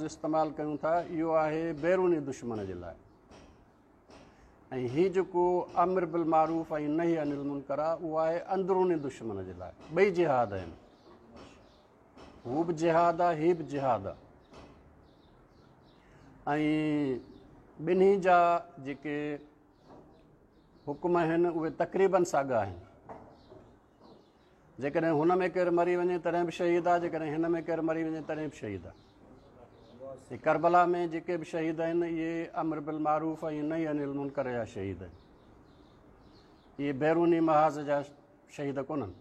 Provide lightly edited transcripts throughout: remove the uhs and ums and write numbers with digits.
استعمال ڪيون ٿا اهو آهي بيروني دشمن جي لاء ۽ هي جيڪو امر بالمعروف ۽ نهي عن المنڪر آهي اهو آهي اندروني دشمن جي لاء. ٻئي جهاد آهن، هو به جهاد آهي، هي به جهاد آهي ۽ ٻنهي جا جيڪي حڪم آهن اهي تقريبن ساڳا آهن. جيڪڏهن هن ۾ ڪير مري وڃي تڏهن به شهيد آهي، جيڪڏهن هن ۾ ڪير مري وڃي تڏهن به شهيد آهي. ڪربلا ۾ جيڪي به شهيد آهن اهي امر بالمعروف ۽ نهي عن المنڪر جا شهيد آهن، اهي بيروني محاذ جا شهيد ڪونهن.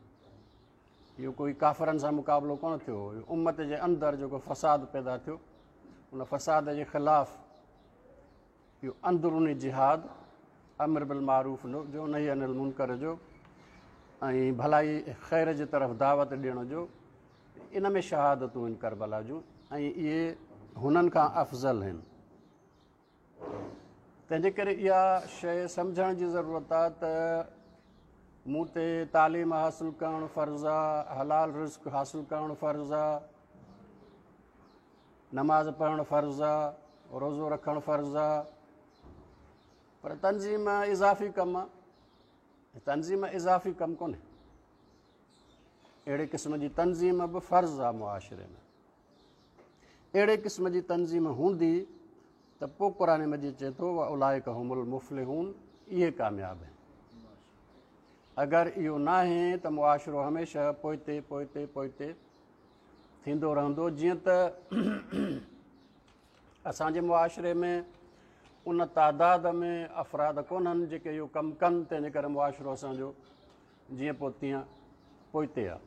اهو ڪوئي ڪافرن سان مقابلو ڪونه ٿيو هو، اهو امت جي اندر جيڪو فساد پيدا ٿيو ان فساد جي خلاف اهو اندروني جهاد امر بالمعروف جو، نهي عن المنڪر جو ۽ ڀلائي خير جي طرف دعوت ڏيڻ جو، ان ۾ شهادتون آهن ڪربلا جون ۽ اهي هنن کان افضل آهن. تنهن جي ڪري اها شيء سمجهڻ جي ضرورت آهي ته مون تي تعليم حاصل ڪرڻ فرض آهي، حلال رزق حاصل ڪرڻ فرض آهي، نماز پڙهڻ فرض آ، روزو رکڻ فرض آ، پر تنظيم اضافي ڪم آ. تنظيم اضافي ڪم ڪونهي. اهڙي قسم جي تنظيم به فرض آ معاشري ۾. اهڙي قسم جي تنظيم هوندي ته پوء قرآن مجيد چئي ٿو واولئک هم المفلحون، اهي ڪامياب آهن. اگر اهو ناهي ته معاشرو هميشه پوئتي پوئتي پوئتي ٿيندو رهندو. جيئن ته اسان جي معاشري ۾ ان تعداد ۾ افراد ڪونهن جيڪي اهو ڪم ڪن، تنهن جي ڪري معاشرو اسان جو جيئن پوء تيئن پوئتي آهي.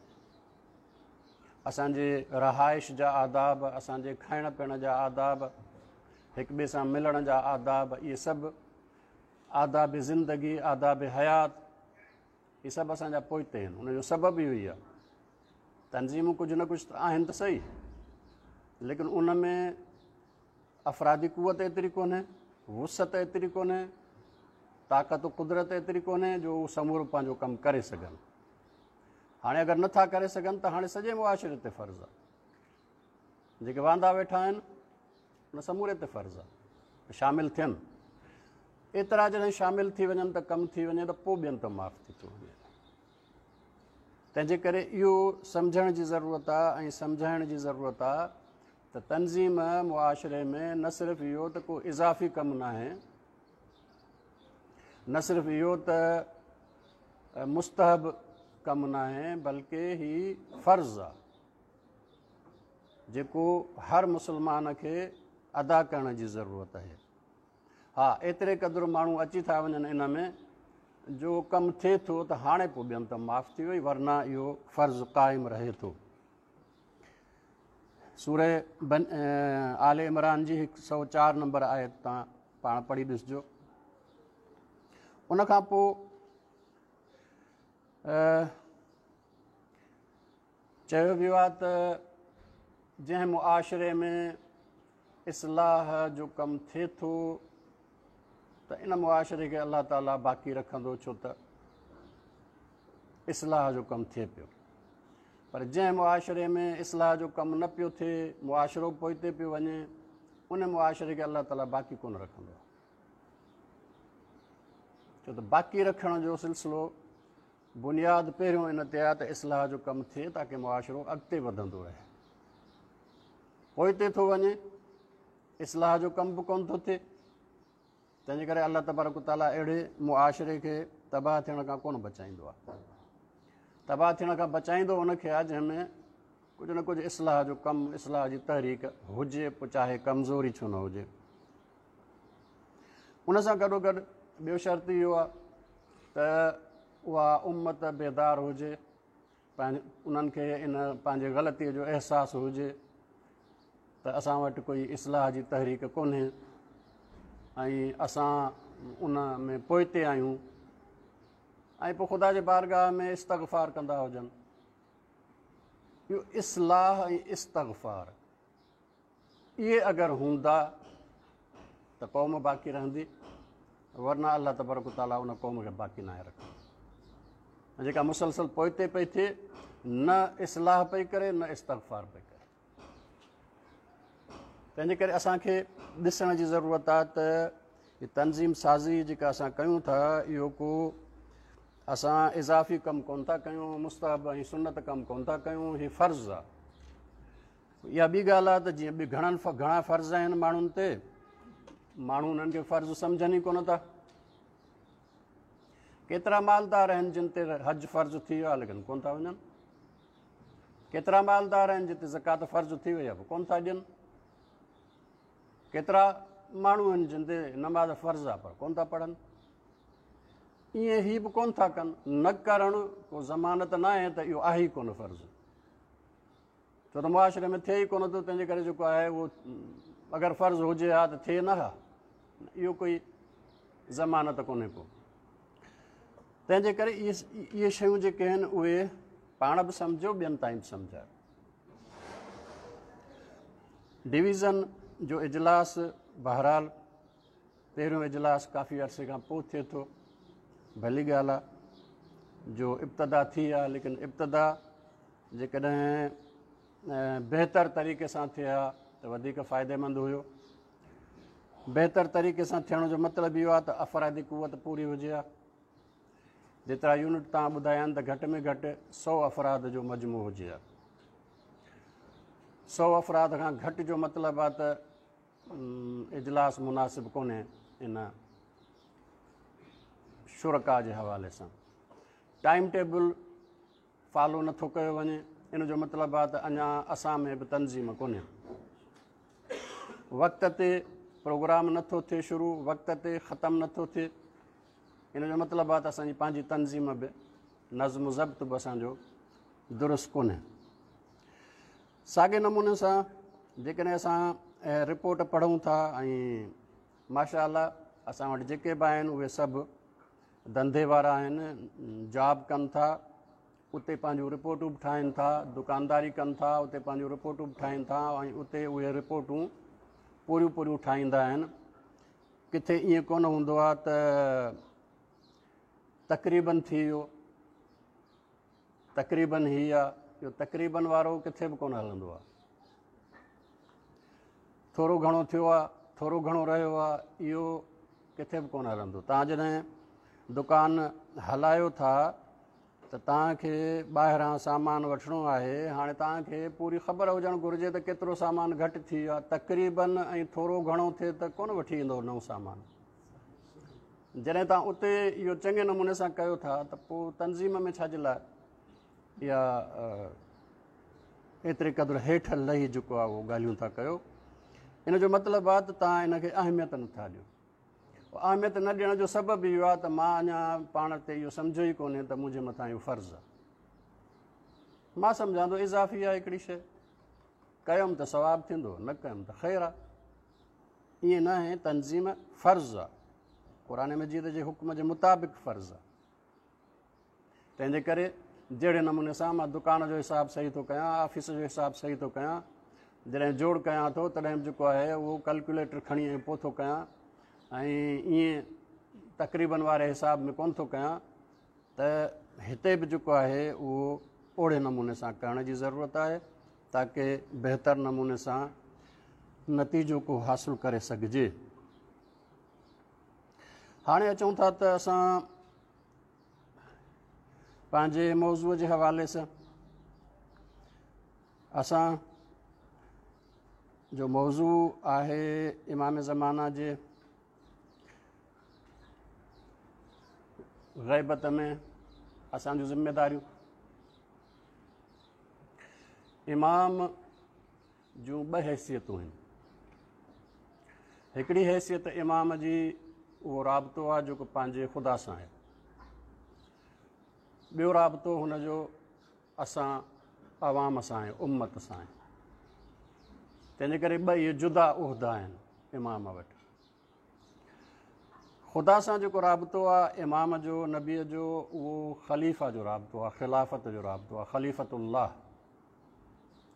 اسان جي رهائش جا آداب، اسان جي کائڻ پيئڻ جا آداب، هڪ ٻئي سان ملڻ جا آداب، اهي سڀ آداب زندگي، آداب حيات، اهي سڀ اسان جا پوئتي آهن. ان جو سبب اهو ئي آهي. تنظيمون ڪجهه نه ڪجهه ته آهن ته صحيح، ليڪن ان ۾ افرادي قوت ايتري ڪونهي، وسعت ايتري ڪونهي، طاقت و قدرت ايتري ڪونهي جو هو سمورو پنهنجو ڪم ڪري سگهن. هاڻي اگر نٿا ڪري سگهن ته هاڻي سڄي معاشري تي فرض آهي، جيڪي واندا ويٺا آهن ان سموري تي فرض آهي شامل ٿين. ايترا جڏهن شامل ٿي وڃن ته ڪم ٿي وڃي ته پوء ٻين ته معاف ٿي ٿو وڃي. تنهن جي ڪري اهو سمجهڻ جي ضرورت آهي ۽ سمجهائڻ جي ضرورت آهي ته تنظيم معاشري ۾ نه صرف اهو ته ڪو اضافي ڪم ناهي، نه صرف اهو ته مستحب ڪم ناهي، بلڪه هي فرض آهي جيڪو هر مسلمان کي ادا ڪرڻ جي ضرورت آهي. ها، ايتري قدر ماڻهو اچي ٿا وڃن ان ۾ جو ڪم ٿئي ٿو ته هاڻي پوء ٻين ته معاف ٿي وئي، ورنه اهو فرض قائم رهي ٿو. سورة آل عمران جي هڪ سؤ چار نمبر آيت تان پاڻ پڙهي ڏسجو. ان کان پوء چيو ويو آهي ته جنهن معاشري ۾ اصلاح جو ڪم ٿئي ٿو ته ان معاشري کي الله تعاليٰ باقي رکندو، ڇو ته اصلاح جو ڪم ٿئي پيو. پر جنهن معاشري ۾ اصلاح جو ڪم نه پيو ٿئي، معاشرو پوئتي پيو وڃي، ان معاشري کي الله تعاليٰ باقي ڪونه رکندو، ڇو ته باقي رکڻ جو سلسلو بنياد پهريون ان تي آهي ته اصلاح جو ڪم ٿئي تاڪه معاشرو اڳتي وڌندو رهي. پوئتي ٿو وڃي، اصلاح جو ڪم به ڪونه ٿو ٿئي، تنهن جي ڪري الله تبارڪ وتعاليٰ اهڙي معاشري کي تباهه ٿيڻ کان ڪونه بچائيندو آهي. تباهه ٿيڻ کان بچائيندو ان کي آهي جنهن ۾ ڪجهه نه ڪجهه اصلاح جو ڪم، اصلاح جي تحريڪ هجي، پوء چاهي ڪمزوري ڇو نه هجي. ان سان گڏوگڏ ٻيو شرط اهو آهي ته اها امت بيدار هجي، انهن کي ان پنهنجي غلطيء جو احساس هجي ته اسان وٽ ڪوئي اصلاح جي تحريڪ ڪونهي ۽ اسان ان ۾ پوئتي آهيون، ۽ پوء خدا جي بارگاهه ۾ استغفار ڪندا هجن. اهو اصلاح ۽ استغفار اهي اگر هوندا ته قوم باقي رهندي، ورنه الله تبارڪ وتعاليٰ ان قوم کي باقي ناهي رکندو جيڪا مسلسل پوئتي پئي ٿئي، نه اصلاح پئي ڪري نه استغفار پئي ڪري. تنهن جي ڪري اسان کي ڏسڻ جي ضرورت آهي ته هي تنظيم سازي جيڪا اسان ڪيون ٿا اهو ڪو اسان اضافي ڪم ڪون ٿا ڪيون، مستحب ۽ سنت ڪم ڪون ٿا ڪيون، هي فرض آهي. اها ٻي ڳالهه آهي ته جيئن ٻي گهڻن گهڻا فرض آهن ماڻهن تي، ماڻهو انهن کي فرض سمجهن ئي ڪونه ٿا. ڪيترا مالدار آهن جن تي حج فرض ٿي ويو آهي ليڪن ڪونه ٿا وڃن، ڪيترا مالدار آهن جن تي زڪوات فرض ٿي وئي آهي پر ڪونه ٿا ڏين، ڪيترا ماڻهو آهن جن تي نماز فرض آهي پر ڪونه ٿا پڙهن. ائين هي به ڪونه ٿا ڪن. نه ڪرڻ ڪو ضمانت نه آهي ته اهو آهي ئي ڪونه فرض، ڇو ته معاشري ۾ ٿئي ئي ڪونه ٿو، تنهن جي ڪري جيڪو آهي اهو اگر فرض هجي ها ته ٿئي نه ها، اهو ڪوئي ضمانت ڪونهي ڪو. تنهن جي ڪري اهي شيون جيڪي آهن اهي پاڻ به سمجهو، ٻين تائين به سمجهايو. ڊويزن جو اجلاس بهرحال پهريون اجلاس ڪافي عرصي کان پوء ٿئي ٿو، ڀلي ڳالهه آهي جو ابتدا ٿي آهي، ليڪن ابتدا جيڪڏهن بهتر طريقي سان ٿئي ها ته وڌيڪ فائديمند هيو. بهتر طريقي سان ٿيڻ جو مطلب اهو آهي ته افرادي قوت پوري هجي ها. جيترا يونٽ توهان ٻڌايا آهن ته گهٽ ۾ گهٽ 100 افراد جو مجموعو هجي ها. 100 افراد کان گهٽ جو مطلب آهي ته اجلاس مناسب ڪونهي ان شرڪا جي حوالي سان. ٽائيم ٽيبل فالو نٿو ڪيو وڃي، ان جو مطلب آهي ته اڃا اسان ۾ به تنظيم ڪونهي. وقت تي پروگرام نٿو ٿئي شروع، وقت تي ختم نٿو ٿئي، ان جو مطلب آهي ته اسان جي پنهنجي تنظيم به، نظم و ضبط به اسان جو درست ڪونهي. ساڳئي نموني سان جيڪڏهن اسان رپورٽ پڙهون ٿا ۽ ماشاء الله اسان وٽ جيڪي به آهن اهي سڀ ڌنڌي وارا آهن، جاب ڪن ٿا، اتي پنهنجون رپورٽون به ٺاهين ٿا، دڪانداري ڪن ٿا، اتي پنهنجون رپورٽون به ٺاهين ٿا ۽ اتي اهي رپورٽون پوريون پوريون ٺاهيندا آهن. ڪٿي ائين ڪونه هوندو آهي ته تقريبن ٿي ويو، تقريبن هي آ، اهو تقريبن وارو ڪٿي به ڪونه هلندو آ. ٿورو گهڻو ٿيو آ، ٿورو گهڻو رهيو آ، اهو ڪٿي به ڪونه هلندو. توهان جڏهن دڪان هلايو ٿا ته توهان کي ٻاهران سامان وٺڻو آهي، هاڻي توهان کي پوري خبر هجڻ گهرجي ته ڪيترو سامان گهٽ ٿي ويو آ. تقريبن ۽ ٿورو گهڻو ٿئي ته ڪونه وٺي ايندو نئون سامان. جڏهن توهان اتي اهو چڱي نموني سان ڪيو ٿا ته پوء تنظيم ۾ ڇا جي لاء اها ايتري قدر هيٺ لهي جيڪو آهي اهو ڳالهيون ٿا ڪيو. ان جو مطلب آهي ته توهان ان کي اهميت نٿا ڏيو. اهميت نه ڏيڻ جو سبب اهو آهي ته مان اڃا پاڻ تي اهو سمجهيو ئي ڪونهي ته منهنجي مٿان اهو فرض آهي. مان سمجهان ٿو اضافي آهي هڪڙي شيء، ڪيم ته ثواب ٿيندو، نه ڪيم ته خير آهي. ائين نه آهي، تنظيم فرض آهي، قرآن مجيد جي حڪم جي مطابق فرض آهي. تنهن جي ڪري جهڙي نموني سان مان دڪان جو حساب صحيح ٿو ڪيان، آفيس جو حساب صحيح ٿو ڪيان، جڏهن جوڙ ڪيان ٿو تڏهن به جيڪو آهي اهو ڪلڪوليٽر کڻي ۽ پوء ٿو ڪيان ۽ ائين تقريبن واري حساب ۾ ڪونه ٿو ڪيان، ته هتي به جيڪو آهي اهو اوڙي نموني سان ڪرڻ جي ضرورت آهي تاڪه بهتر نموني سان نتيجو ڪو حاصل ڪري سگهجي. هاڻي اچون ٿا ته اسان پنهنجي موضوع جي حوالي سان، اسان جو موضوع آهي امام زمانه جي غيبت ۾ اسان جون ذميداريون. امام جون ٻه حيثيتون آهن. هڪڙي حيثيت امام جي اهو رابطو آهي جيڪو پنهنجي خدا سان آهي. ٻيو رابطو هن جو اسان عوام سان آهي، امت سان آهي. تنهن جي ڪري ٻه اهي جدا عهدا آهن امام وٽ. خدا سان جيڪو رابطو آهي امام جو، نبيء جو، اهو خليفه جو رابطو آهي، خلافت جو رابطو آهي، خليفة الله.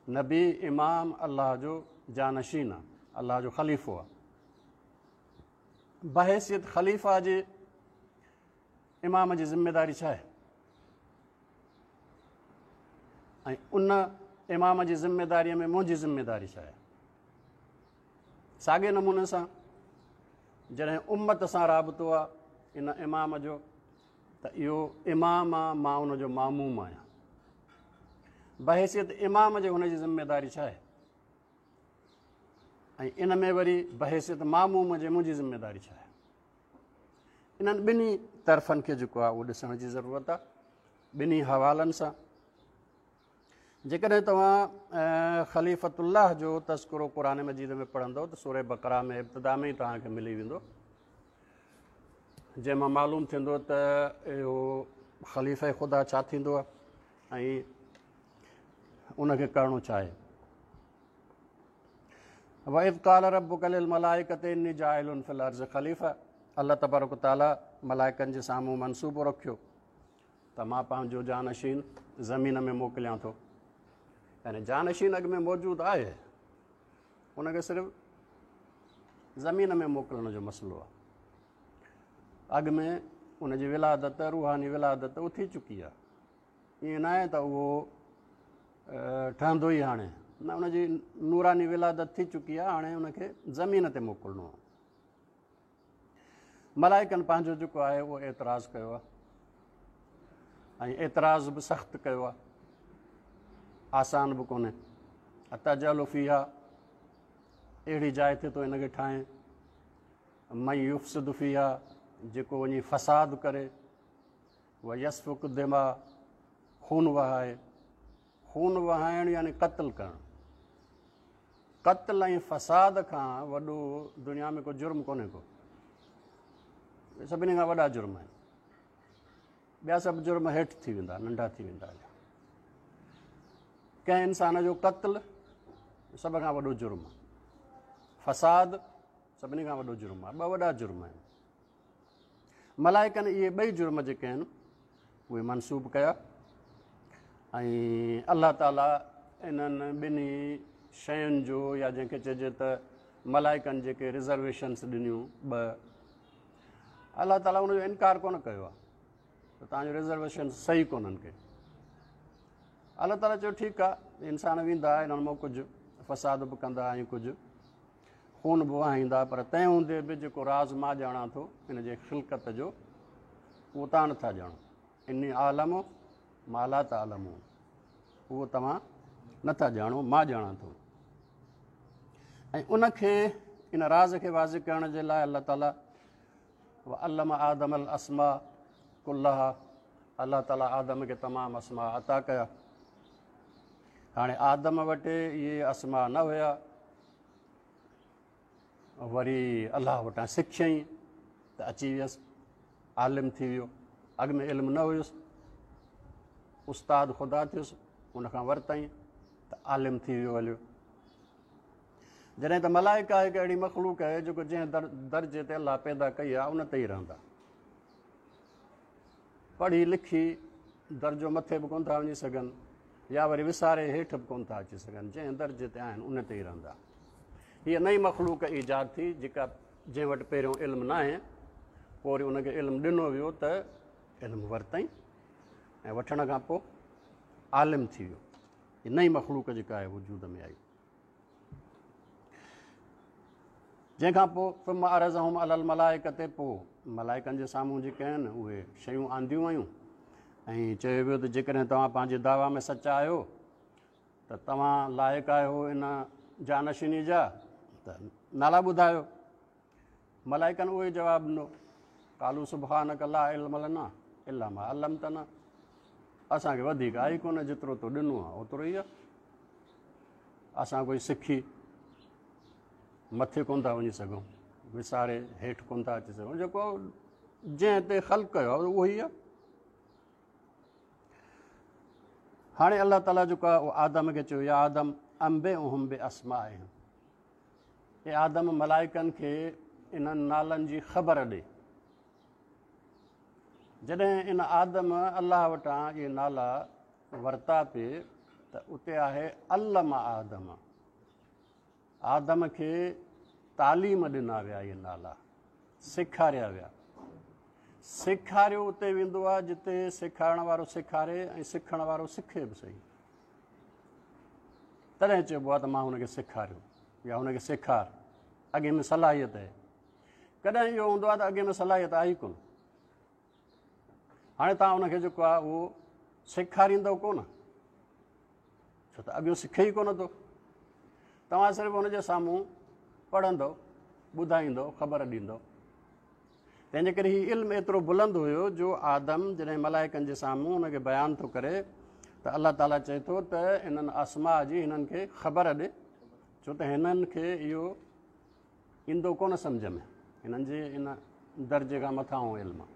نبي امام الله جو جانشين آهي، الله جو خليفو آهي. بحيثيت خليفه جي امام جي ذميداري ڇا آهي؟ ۽ ان امام جي ذميداريء ۾ منهنجي ذميداري ڇا آهي؟ ساڳئي نموني سان جڏهن امت سان رابطو آ ان امام جو ته اهو امام آ، مان ان جو ماموم آهيان. بحيثيت امام جي هن جي ذميداري ڇا آهي ۽ ان ۾ وري بحيثيت ماموم جي منهنجي ذميداري ڇا آهي؟ انهن ٻنهي طرفن کي جيڪو آهي اهو ڏسڻ جي ضرورت آهي ٻنهي حوالن سان. جيڪڏهن توهان خليفة الله جو تذڪرو قرآن مجيد ۾ پڙهندؤ ته سورة بقره ۾ ابتدا ۾ ئي توهان کي ملي ويندو، جنهن مان معلوم ٿيندو ته اهو خليفه خدا ڇا ٿيندو آهي ۽ ان کي ڪرڻو ڇا آهي. وَإِذْ قَالَ رَبُّكَ لِلْمَلَائِكَةِ إِنِّي جَاعِلٌ فِي الْأَرْضِ خَلِيفَةً، الله تبارڪ وتعاليٰ ملائڪن جي سامهون منصوبو رکيو ته مان پنهنجو جانشين زمين ۾ موڪليان ٿو. يعني جانشين اڳ ۾ موجود آهي، ان کي صرف زمين ۾ موڪلڻ جو مسئلو آهي. اڳ ۾ ان جي ولادت، روحاني ولادت اهو ٿي چڪي آهي. ائين نه آهي ته اهو ٺهندو ئي هاڻي، نه، ان جي نوراني ولادت ٿي چڪي آهي، هاڻي ان کي زمين تي موڪلڻو آهي. ملائڪن پنهنجو جيڪو آهي اهو اعتراض ڪيو آهي ۽ اعتراض به سخت ڪيو آهي، آسان به ڪونهي. اتجعل فيها، اهڙي جاء تي ٿو ان کي ٺاهين، من يفسد فيها، جيڪو وڃي فساد ڪري، ويسفڪ الدماء، خون وهائي. خون وهائڻ يعني قتل ڪرڻ. قتل ۽ فساد کان وڏو دنيا ۾ ڪو جرم ڪونهي ڪو. اهي سڀني کان وڏا جرم آهن. ٻيا سڀ جرم هيٺ ٿي ويندا، ننڍا ٿي ويندا. ڪنهن انسان جو قتل سڀ کان وڏو جرم آهي، فساد سڀني کان وڏو جرم آهي. ٻه وڏا جرم آهن. ملائڪن اهي ٻئي جرم جيڪي آهن اهي منسوب ڪيا ۽ الله تعاليٰ انهن ٻنهي شين جو، يا جنهن کي چئجي ته ملائڪن جيڪي رزرويشنس ڏنيون ٻه، الله تعاليٰ ان جو انڪار ڪونه ڪيو آهي ته توهان جو رزرويشن صحيح ڪونهن ڪي. الله تعاليٰ چيو ٺيڪ آهي، انسان ويندا انهن مان ڪجهه فساد به ڪندا ۽ ڪجهه خون به وهائيندا، پر تنهن هوندي به جيڪو راز مان ڄاڻان ٿو ان جي خلقت جو، اهو توهان نٿا ڄاڻو. اني اعلم ما لا تعلمون، اهو توهان نٿا ڄاڻو، مان ڄاڻان ٿو. ۽ ان کي، ان راز کي واضح ڪرڻ جي لاء الله تعاليٰ وعلم آدم الاسماء ڪلها، الله تعاليٰ آدم کي تمام اسماء عطا ڪيا. هاڻي آدم وٽ اهي اسماء نه هيا، وري الله وٽان سکيائين ته اچي ويس، عالم ٿي ويو. اڳ ۾ علم نه هيس، استاد خدا ٿيس، ان کان ورتائين ته عالم ٿي ويو هليو. جڏهن ته ملائڪ هڪ اهڙي مخلوق آهي جيڪو جنهن درجي تي الله پيدا ڪئي آهي ان تي ئي رهندا. پڙهي لکي درجو مٿي به ڪونه ٿا وڃي سگهن يا وري وساري هيٺ به ڪونه ٿا اچي سگهن، جنهن درجي تي آهن ان تي ئي رهندا. هيء نئين مخلوق ايجاد ٿي جيڪا جنهن وٽ پهريون علم ناهي، پوء وري ان کي علم ڏنو ويو ته علم ورتائين ۽ وٺڻ کان پوء عالم ٿي ويو. هيء نئين مخلوق جيڪا آهي وجود ۾ آئي، جنهن کان پوء ثم عرضهم علي الملائڪة، پوء ملائڪن جي سامهون جيڪي آهن اهي شيون آنديون ويون ۽ چيو ويو ته جيڪڏهن توهان پنهنجي دعويٰ ۾ سچا آهيو ته توهان لائق آهيو ان جانشيني جا، ته نالا ٻڌايو. ملائڪن اهو ئي جواب ڏنو، قالوا سبحانڪ لا علم لنا الا ما علمتنا، اسان کي وڌيڪ آهي ئي ڪونه، جيترو تو ڏنو آهي اوترو ئي آهي، اسان ڪوئي سکي مٿي ڪونه ٿا وڃي سگهون، وساري هيٺ ڪونه ٿا اچي سگهون، جيڪو جنهن تي خلق ڪيو آهي اهو ئي آهي. هاڻي الله تعاليٰ جيڪو آهي اهو آدم کي چيو، يا آدم انبئهم باسمائهم، اي آدم ملائڪن کي انهن نالن جي خبر ڏي. جڏهن ان آدم الله وٽان اهي نالا ورتا پي ته اتي آهي علم آدم، آدم کي تعليم ڏنا ويا، اهي نالا سيکاريا ويا. سيکاريو اتي ويندو آهي جتي سيکارڻ وارو سيکاري ۽ سکڻ وارو سکي به صحيح، تڏهن چئبو آهي ته مان هن کي سيکاريو يا هن کي سيکار. اڳئين ۾ صلاحيت آهي. ڪڏهن اهو هوندو آهي ته اڳئين ۾ صلاحيت آهي ئي ڪونه. هاڻي توهان ان کي جيڪو آهي اهو سيکاريندؤ ڪونه، ڇو ته اڳيون سکي ئي ڪونه ٿو. توهان صرف ان جي سامهون پڙهندؤ، ٻڌائيندؤ، خبر ڏيندؤ. تنهن جي ڪري هي علم ايترو بلند هيو جو آدم جڏهن ملائڪن جي سامهون ان کي بيان ٿو ڪري ته الله تعاليٰ چئي ٿو ته انهن اسماء جي هنن کي خبر ڏي، ڇو ته هنن کي اهو ايندو ڪونه سمجه ۾، هنن جي ان درجي کان مٿانهون علم آهي.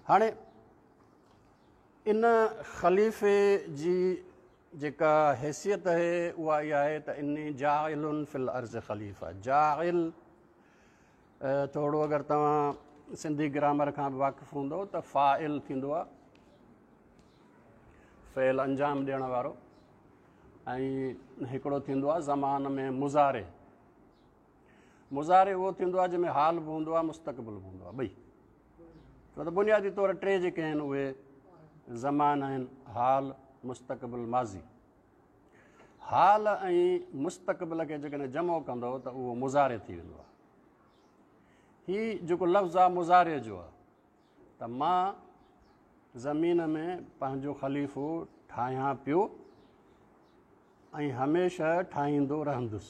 هاڻي ان خليفي جي جيڪا حيثيت آهي اها اها آهي ته اني جاعل في الارض خليفه. جاعل ٿورو اگر توهان سنڌي گرامر کان به واقف هوندو ته فاعل ٿيندو آهي، فعل انجام ڏيڻ وارو، ۽ هڪڙو ٿيندو آهي زمان ۾ مضارع. مضارع اهو ٿيندو آهي جنهن ۾ حال به هوندو آهي مستقبل به هوندو آهي، ٻئي. ڇو ته بنيادي طور ٽي جيڪي آهن اهي زمان آهن، حال، مستقبل، ماضي. حال ۽ مستقبل کي جيڪڏهن جمع ڪندو ته اهو مضارع ٿي ويندو آهي. هي جيڪو لفظ آهي مضارع جو آهي ته مان زمين ۾ پنهنجو خليفو ٺاهيان پيو ۽ هميشه ٺاهيندو رهندس،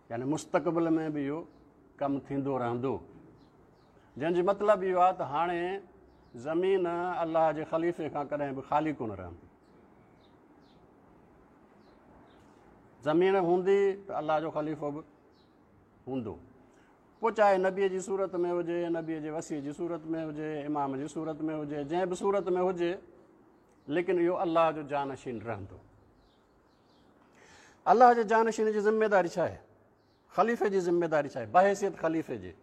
يعني مستقبل ۾ به اهو ڪم ٿيندو رهندو. جنهن جو مطلب اهو آهي ته هاڻي زمين الله جي خليفي کان ڪڏهن به خالي ڪونه رهندي. زمين هوندي ته الله جو خليفو به هوندو، پوء چاهي نبيء جي صورت ۾ هجي، نبيء جي وصي جي صورت ۾ هجي، امام جي صورت ۾ هجي، جنهن به صورت ۾ هجي، ليڪن اهو الله جو جانشين رهندو. الله جي جانشين جي ذميداري ڇا آهي؟ خليفي جي ذميداري ڇا آهي؟ بحيثيت خليفي جي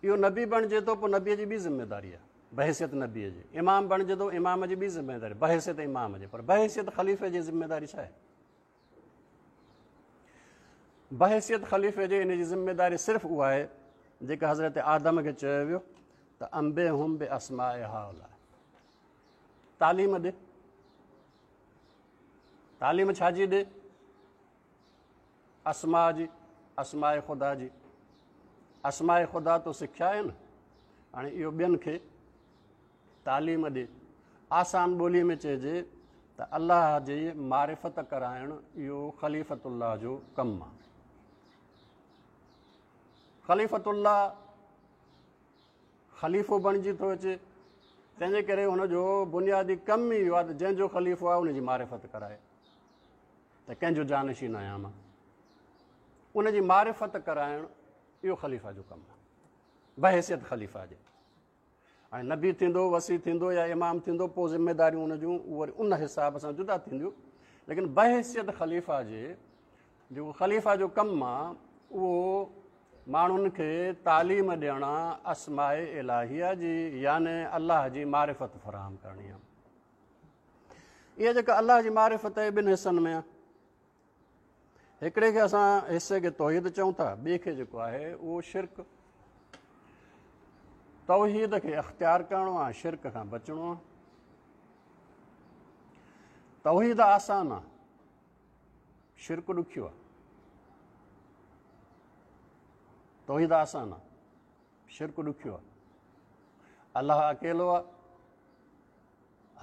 اهو نبي بڻجي ٿو، پوء نبيء جي ٻي ذميداري آهي بحيثيت نبيء جي. امام بڻجي ٿو، امام جي ٻي ذميداري بحيثيت امام جي. پر بحيثيت خليفي جي ذميداري ڇا آهي؟ بحيثيت خليفي جي ان جي ذميداري صرف اها آهي جيڪا حضرت آدم کي چيو ويو ته انبئهم باسماء هؤلاء، تعليم ڏي. تعليم ڇا جي ڏي؟ اسماء جي، اسماء خدا جي. اسماء خدا تو سکيا آهن، هاڻي اهو ٻين کي تعليم ڏي. آسان ٻوليء ۾ چئجي ته الله جي معرفت ڪرائڻ اهو خليفت الله جو ڪم آهي. خليفت الله خليفو بڻجي ٿو اچي، تنهن جي ڪري هن جو بنيادي ڪم ئي اهو آهي ته جنهن جو خليفو آهي ان جي معرفت ڪرائي ته ڪنهن جو جانشين آهيان مان، ان جي معرفت ڪرائڻ اهو خليفه جو ڪم آهي بحيثيت خليفه جي. هاڻي نبي ٿيندو، وصي ٿيندو يا امام ٿيندو، پوء ذميداريون ان جون وري ان حساب سان جدا ٿينديون، ليڪن بحيثيت خليفه جي جيڪو خليفه جو ڪم آ اهو ماڻهن کي تعليم ڏيڻ آ اسماء الاهيه جي، يعني الله جي معرفت فراهم ڪرڻي آ. اها جيڪا الله جي معرفت آهي ٻن حصن ۾ آ. هڪڙي کي اسان حصي کي توحيد چئون ٿا، ٻئي کي جيڪو آهي اهو شرڪ. توحيد کي اختيار ڪرڻو آ، شرڪ کان بچڻو آ. توحيد آسان آ، شرڪ ڏکيو آ. توحيد آسان آ، شرڪ ڏکيو آ. الله اڪيلو آ،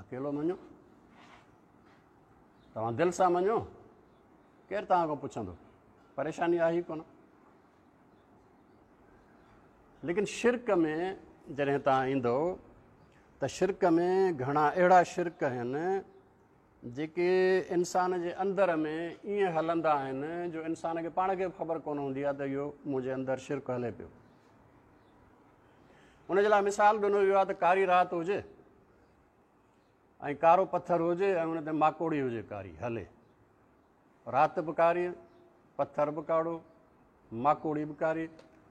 اڪيلو مڃو، توهان دل سان مڃو، ڪير توهان کان پڇندو؟ پريشاني آهي ئي ڪونه. ليڪن شرڪ ۾ جڏهن توهان ايندو ته شرڪ ۾ گهڻا اهڙا شرڪ آهن جيڪي انسان جي اندر ۾ ائين هلندا آهن جو انسان کي پاڻ کي به خبر ڪونه هوندي آهي ته اهو منهنجي اندر شرڪ هلي پيو. ان جي لاء مثال ڏنو ويو آهي ته ڪاري رات هجي ۽ ڪارو پٿر هجي ۽ ان تي ماڪوڙي هجي ڪاري هلي، رات به ڪاري، پٿر به ڪارو، ماڪوڙي به ڪاري،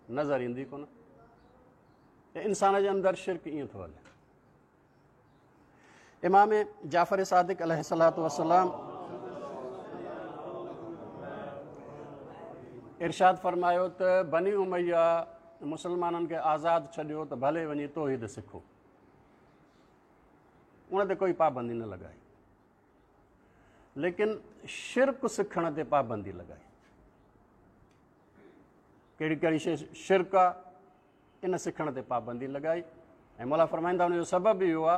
نظر ايندي ڪونه. انسان جي اندر شرڪ ائين ٿو هلي. امام جعفر صادق عليه الصلوة والسلام ارشاد فرمايو ته بني اميه مسلمانن کي آزاد ڇڏيو ته ڀلي وڃي توحيد سکو، ان تي ڪوئي پابندي نه لڳائي. ليڪن شرڪ سکڻ تي پابندي لڳائي. ڪهڙي ڪهڙي شيء شرڪ آ، ان سکڻ تي پابندي لڳائي. ۽ مولا فرمائيندا ان جو سبب اهو آ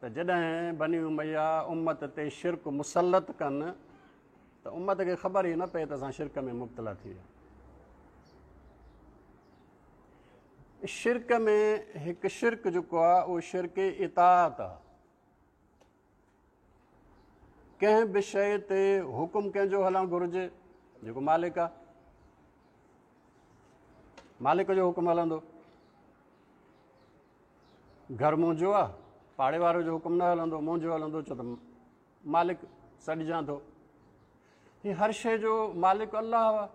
ته جڏهن بني اميه امت تي شرڪ مسلط ڪن ته امت کي خبر ئي نه پئي ته اسان شرڪ ۾ مبتلا ٿي ويا. شرڪ ۾ هڪ شرڪ جيڪو آ اهو شرڪ اطاعت آ. ڪنهن به شيء تي حڪم ڪنهن جو هلڻ گهرجي؟ جيڪو مالڪ آ، مالڪ جو حڪم هلندو. گهر منهنجو آ، پاڙي وارو جو حڪم نه هلندو، منهنجو هلندو، ڇو ته مالڪ سڏجان ٿو. هي هر شيء جو مالڪ الله آ،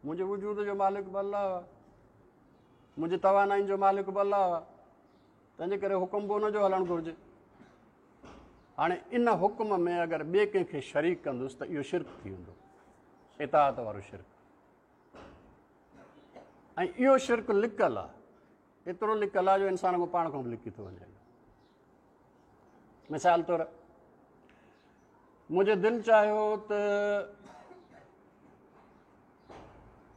منهنجي وجود جو مالڪ به الله آ، منهنجي توانائين جو مالڪ به الله آ، تنهنجي ڪري حڪم به ان جو هلڻ گهرجي. هاڻي ان حڪم ۾ اگر ٻئي ڪنهن کي شريڪ ڪندس ته اهو شرڪ ٿي ويندو، اطاعت وارو شرڪ. ۽ اهو شرڪ لڪل آ، ايترو لڪل آ جو انسان کان پاڻ کان به لڪي ٿو وڃي. مثال طور منهنجي دل چاهيو ته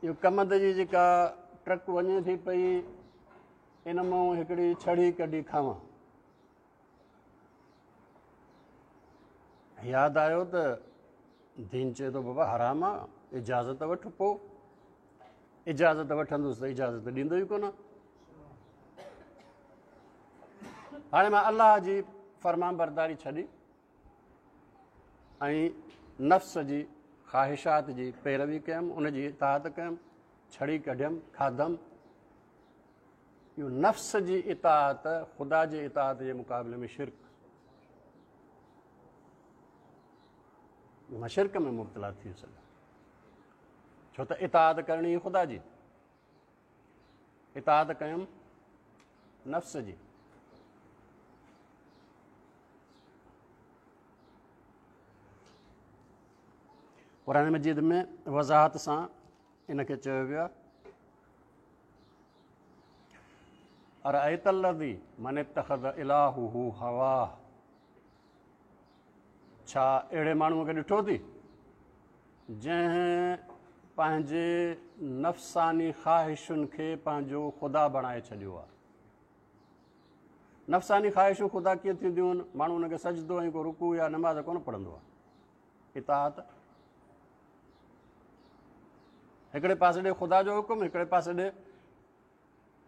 اهو ڪمند جي جيڪا ٽرڪ وڃي ٿي پئي ان مان هڪڙي ڇڙي ڪڍي کاوان. ياد آيو ته دين چئي ٿو بابا حرام آ، اجازت وٺ. پوء اجازت وٺندس ته اجازت ڏيندو ئي ڪونه. هاڻي مان الله جي فرمان برداري ڇڏي ۽ نفس جي خواهشات جي پيروي ڪيم، ان جي اطاعت ڪيم، ڇڙي ڪڍيم، کاڌم. اهو نفس جي اطاعت خدا جي اطاعت جي مقابلي ۾ شرڪ، مان شرڪ ۾ مبتلا ٿي سگهان، ڇو ته اطاعت ڪرڻي خدا جي، اطاعت ڪيم نفس جي. قرآن مجيد ۾ وضاحت سان ان کي چيو ويو آهي، ارأيت الذي من اتخذ الهه هواه، ڇا اهڙي ماڻهوء کي ڏٺو ٿي جنهن پنهنجي نفساني خواهشن کي پنهنجو خدا بڻائي ڇڏيو آهي؟ نفساني خواهشون خدا ڪيئن ٿينديون آهن؟ ماڻهو ان کي سجدو ۽ ڪو رڪوع يا نماز ڪونه پڙهندو آهي. اطاعت هڪڙي پاسي ڏي خدا جو حڪم، هڪڙي پاسي ڏي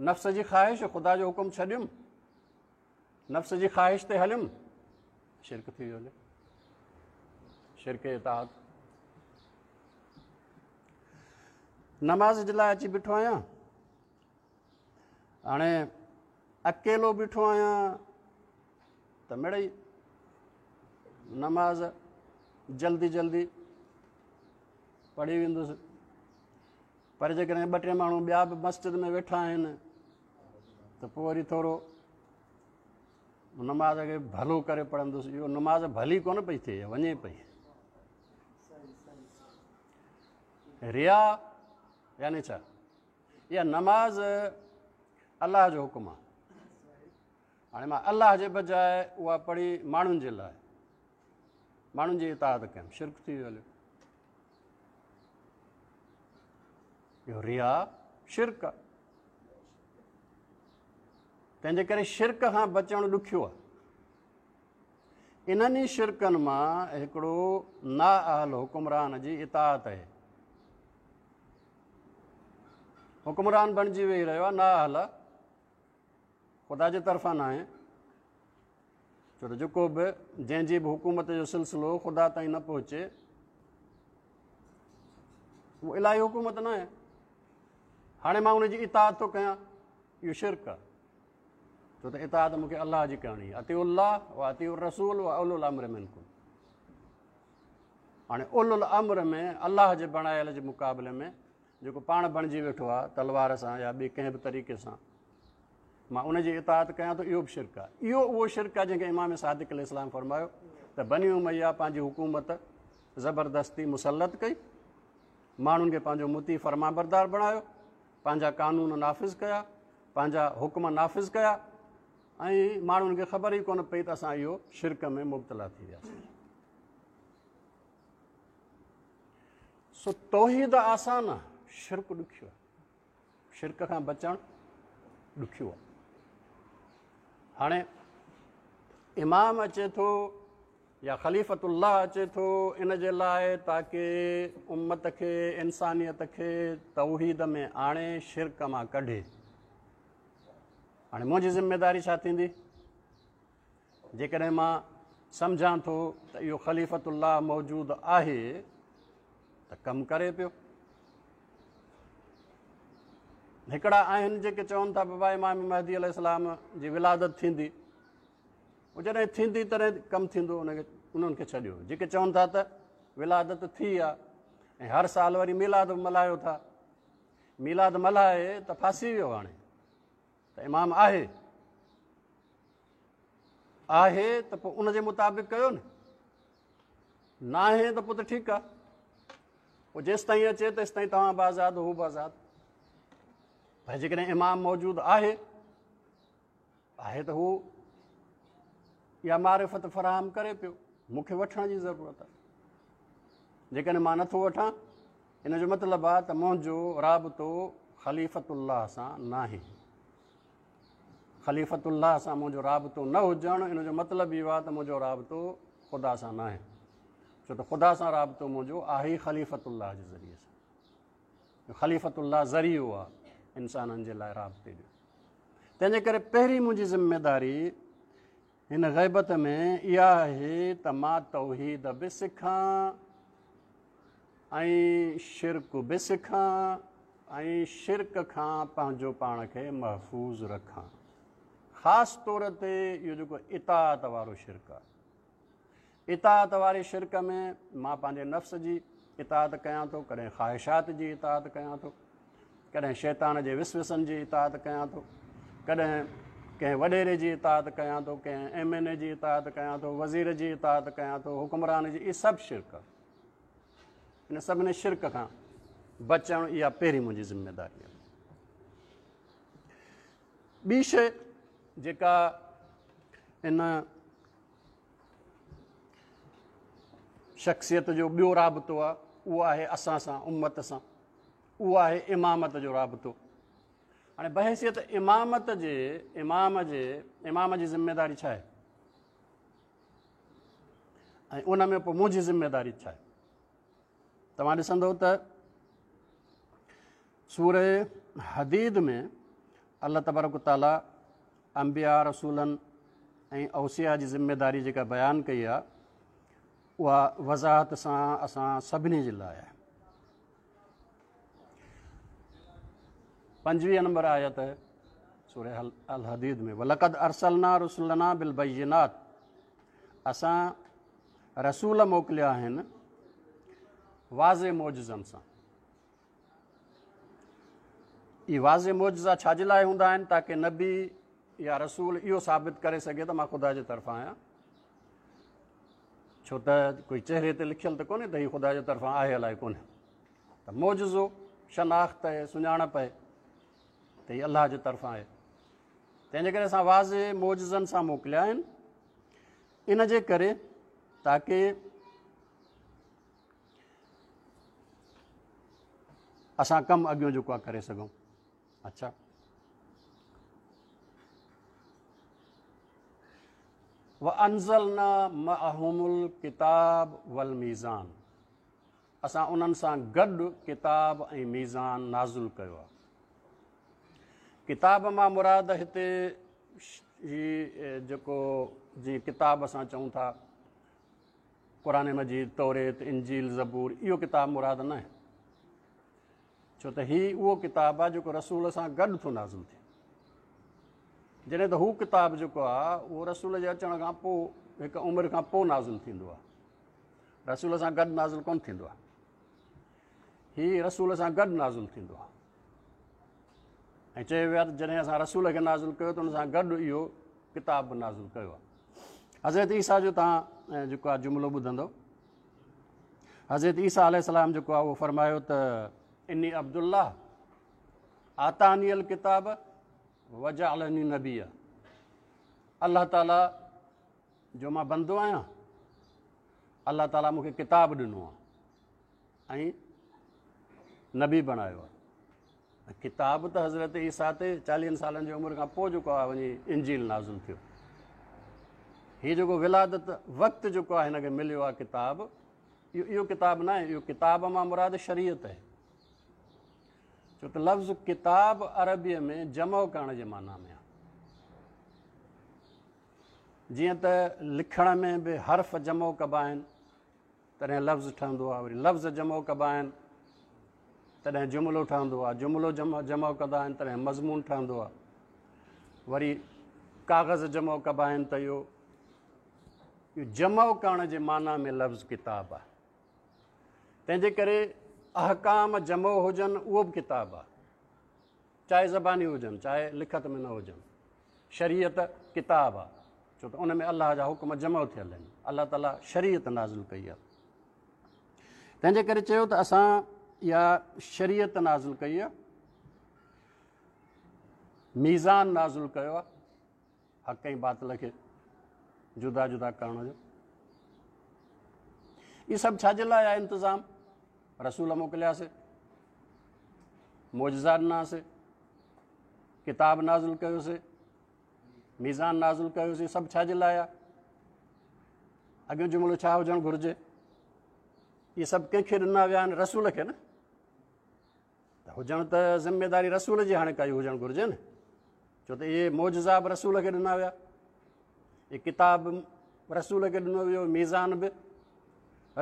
نفس جي خواهش. خدا جو حڪم ڇڏيم، نفس جي خواهش تي هليم، شرڪ ٿي ويو، شرڪ اطاعت. نماز جي لاء اچي بيٺو آهيان، هاڻي اڪيلو بيٺو آهيان ته مڙئي نماز جلدي جلدي پڙهي ويندس، پر جيڪڏهن ٻه ٽي ماڻهو ٻيا به مسجد ۾ ويٺا آهن ته پوء وري ٿورو نماز کي ڀلو ڪري پڙهندس. اهو نماز ڀلي ڪونه پئي ٿئي، وڃي پئي. ريا يعني ڇا؟ اها نماز الله جو حڪم آهي، هاڻي مان الله جي بجاء اها پڙهي ماڻهن جي لاء، ماڻهن جي اطاعت ڪيم، شرڪ ٿي ويو هليو. اهو ريا شرڪ آهي، تنهن جي ڪري شرڪ کان بچڻ ڏکيو آهي. انهن ئي شرڪن مان هڪڙو نااهل حڪمران جي اطاعت آهي. حڪمران بڻجي ويهي رهيو آهي، نااهل آهي، خدا جي طرفان ناهي، ڇو ته جيڪو به جنهن جي به حڪومت جو سلسلو خدا تائين نه پهچي اهو الاهي حڪومت ناهي. هاڻي مان ان جي اطاعت ٿو ڪيان، اهو شرڪ آهي، ڇو ته اطاعت مون کي الله جي ڪرڻي آهي. اطيعوا الله و اطيعوا الرسول و اولو الامر منڪم. هاڻي اولو الامر ۾ الله جي بڻايل جي مقابلي ۾ جيڪو پاڻ بڻجي ويٺو آهي تلوار سان يا ٻئي ڪنهن به طريقي سان، مان ان جي اطاعت ڪيان ٿو، اهو به شرڪ آهي. اهو اهو شرڪ آهي جنهن کي امام صادق عليه السلام فرمايو ته بني اميه پنهنجي حڪومت زبردستي مسلط ڪئي، ماڻهن کي پنهنجو مطيع فرمانبردار بڻايو، پنهنجا قانون نافذ ڪيا، پنهنجا حڪم نافذ ڪيا، ۽ ماڻهن کي خبر ئي ڪونه پئي ته اسان اهو شرڪ ۾ مبتلا ٿي وياسين. سو توحيد آسان آ، شرڪ ڏکيو آ. شرڪ کان بچڻ ڏکيو آ. هاڻي امام اچي ٿو يا خليفة الله اچي ٿو ان جي لاء تاڪه امت کي، انسانيت کي توحيد ۾ آڻي شرڪ مان ڪڍي. هاڻي منهنجي ذميداري ڇا ٿيندي؟ جيڪڏهن مان سمجهان ٿو ته اهو خليفة الله موجود آهي ته ڪم ڪري پيو. هڪڙا آهن جيڪي چون ٿا بابا امام مهدي عليه السلام جي ولادت ٿيندي، هو جڏهن ٿيندي تڏهن ڪم ٿيندو، انهن کي ڇڏيو. جيڪي چون ٿا ته ولادت ٿي آ ۽ هر سال وري ميلاد به ملهايو ٿا، ميلاد ملهائي ته ڦاسي ويو، هاڻي ته امام آهي، آهي ته پوء ان جي مطابق ڪيو نه، ناهي ته پوء ته ٺيڪ آ، پوء جيستائين اچي تيستائين توهان به آزاد هو به آزاد. پر جيڪڏهن امام موجود آهي، آهي ته هو اها معرفت فراهم ڪري پيو، مون کي وٺڻ جي ضرورت آهي. جيڪڏهن مان نٿو وٺان ان جو مطلب آهي ته منهنجو رابطو خليفة الله سان ناهي. خليفة الله سان منهنجو رابطو نه هجڻ ان جو مطلب اهو آهي ته منهنجو رابطو خدا سان ناهي، ڇو ته خدا سان رابطو منهنجو آهي ئي خليفة الله جي ذريعي سان. خليفة الله ذريعو آهي انسانن جي لاء رابطي جو. تنهنجي ڪري پهرين منهنجي ذميداري هن غيبت ۾ اها آهي ته مان توحيد به سکان ۽ شرڪ به سکان ۽ شرڪ کان پنهنجو پاڻ کي محفوظ رکان. خاص طور تي اهو جيڪو اطاعت وارو شرڪ آهي، اطاعت واري شرڪ ۾ مان پنهنجي نفس جي اطاعت ڪيان ٿو، ڪڏهن خواهشات جي اطاعت ڪيان ٿو، ڪڏهن شيطان جي وسوسن جي اطاعت ڪيان ٿو، ڪڏهن ڪنهن وڏيري جي اطاعت ڪيان ٿو، ڪنهن ايم اين اي جي اطاعت ڪيان ٿو، وزير جي اطاعت ڪيان ٿو، حڪمران جي، اهي سڀ شرڪ آهي. ان سڀني شرڪ کان بچڻ اها پهرين منهنجي ذميداري آهي. ٻي شيء جيڪا ان شخصيت جو ٻيو رابطو آهي اهو آهي اسان سان، امت سان، اهو آهي امامت جو رابطو. هاڻي بحيثيت امامت جي، امام جي، امام جي ذميداري ڇا آهي ۽ ان ۾ پوء منهنجي ذميداري ڇا آهي؟ توهان ڏسندو ته سوره حديد ۾ الله تبارڪ وتعاليٰ انبياء، رسولن ۽ اوصياء جي ذميداري جيڪا بيان ڪئي آهي اها وضاحت سان اسان سڀني جي لاء آهي. 25 نمبر آيت سوره الحديد ۾ ولقد ارسلنا رسلنا بالبينات، اسان رسول موڪليا آهن واضح معجزن سان. اهي واضح معجزا ڇا جي لاء هوندا آهن؟ تاڪه نبي يا رسول اهو ثابت ڪري سگهي ته مان خدا جي طرفان آهيان، ڇو ته ڪوئي چهري تي لکيل ته ڪونهي ته هي خدا جي طرفان آهي الائي ڪونهي. ته معجزو شناخت آهي، سڃاڻپ آهي ته هي الله جي طرفان آهي. تنهن جي ڪري اسان واضح معجزن سان موڪليا آهن، ان جي ڪري تاڪه اسان ڪم اڳيون جيڪو آهي ڪري سگهون. اچھا، وانزلنا معهم الڪتاب والميزان، اسان انهن سان گڏ ڪتاب ۽ ميزان نازل ڪيو آهي. ڪتاب مان مراد هتي هي جيڪو جيئن ڪتاب اسان چئون ٿا قرآن مجيد، توريت، انجيل، زبور، اهو ڪتاب مراد نه آهي، ڇو ته هي اهو ڪتاب آهي جيڪو رسول سان گڏ ٿو نازل ٿئي. جڏهن ته هو ڪتاب جيڪو آهي اهو رسول جي اچڻ کان پوء هڪ عمر کان پوء نازل ٿيندو آهي، رسول سان گڏ نازل ڪونه ٿيندو آهي. هي رسول سان گڏ نازل ٿيندو آهي ۽ چيو ويو آهي ته جڏهن اسان رسول کي نازل ڪيو ته ان سان گڏ اهو ڪتاب به نازل ڪيو آهي. حضرت عيسيٰ جو توهان جيڪو آهي جملو ٻڌندو، حضرت عيسيٰ عليه السلام جيڪو آهي اهو فرمايو ته اني عبدالله آتاني الڪتاب وجعلني نبيا، الله تعاليٰ جو مان بندو آهيان، الله تعاليٰ مون کي ڪتاب ڏنو آهي ۽ نبي بڻايو آهي. ڪتاب ته حضرت عيسيٰ تي چاليهن سالن جي عمر کان پوء جيڪو آهي وڃي انجيل نازل ٿيو. هي جيڪو ولادت وقت جيڪو آهي هن کي مليو آهي ڪتاب، اهو ڪتاب نه آهي. اهو ڪتاب مان مراد شريعت آهي، ڇو ته لفظ ڪتاب عربيء ۾ جمع ڪرڻ جي معنيٰ ۾ آهي. جيئن ته لکڻ ۾ به حرف جمع ڪبا آهن تڏهن لفظ ٺهندو آهي، وري لفظ جمع ڪبا آهن تڏهن جملو ٺهندو آهي، جملو جمع ڪندا آهن تڏهن مضمون ٺهندو آهي، وري ڪاغذ جمع ڪبا آهن ته اهو جمع ڪرڻ جي معنيٰ ۾ لفظ ڪتاب آهي. تنهن جي ڪري احڪام جمع هجن اهو به ڪتاب آهي، چاهي زباني هجن چاهي لکت ۾ نه هجن. شريعت ڪتاب آهي، ڇو ته ان ۾ الله جا حڪم جمع ٿيل آهن. الله تعاليٰ شريعت نازل ڪئي آهي، تنهن جي ڪري چيو ته اسان اها شريعت نازل ڪئي آهي، ميزان نازل ڪيو آهي حق ۽ باطل کي جدا جدا ڪرڻ جو. اهي سڀ ڇا جي لاء آهي انتظام؟ رسول موڪلياسي، معجزا ڏناسي، ڪتاب نازل ڪيوسي، ميزان نازل ڪيوسي، سڀ ڇا جي لاء آهي؟ اڳيون جملو ڇا هجڻ گهرجي؟ اهي سڀ ڪنهن کي ڏنا ويا آهن؟ رسول کي نه. ته هجڻ ته ذميداري رسول جي هاڻي ڪائي هجڻ گهرجي نه، ڇو ته اهي معجزا به رسول کي ڏنا ويا، اهي ڪتاب رسول کي ڏنو ويو، ميزان به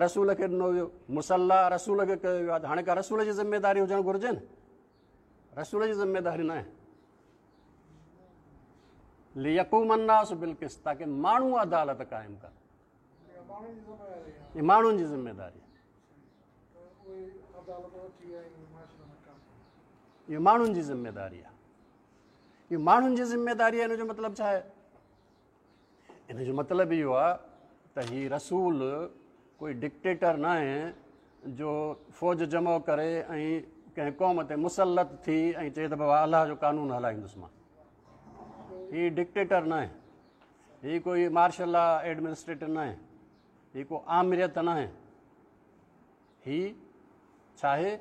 رسول کي ڏنو ويو، مصليٰ رسول کي ڪيو ويو آهي. ته هاڻي ڪا رسول جي ذميداري هجڻ گهرجي نه، رسول جي ذميداري نه آهي. ليقوم الناس بالقسط، تاڪه ماڻهو عدالت قائم ڪن. اها ماڻهن جي ذميداري آهي. اهو ماڻهن جي ذميداري آهي. اهو ماڻهن جي ذميداري آهي. ان جو مطلب ڇا آهي؟ ان جو مطلب اهو آهي ته هي رسول ڪوئي ڊڪٽيٽر نه آهي جو فوج جمع ڪري ۽ ڪنهن قوم تي مسلط ٿي ۽ چئي ته بابا الله جو قانون هلائيندس مان. هي ڊڪٽيٽر نه آهي، هي ڪوئي مارشل لا ايڊمنسٽريٽر نه آهي، هي ڪو آمريت نه آهي. هي ڇا آهي؟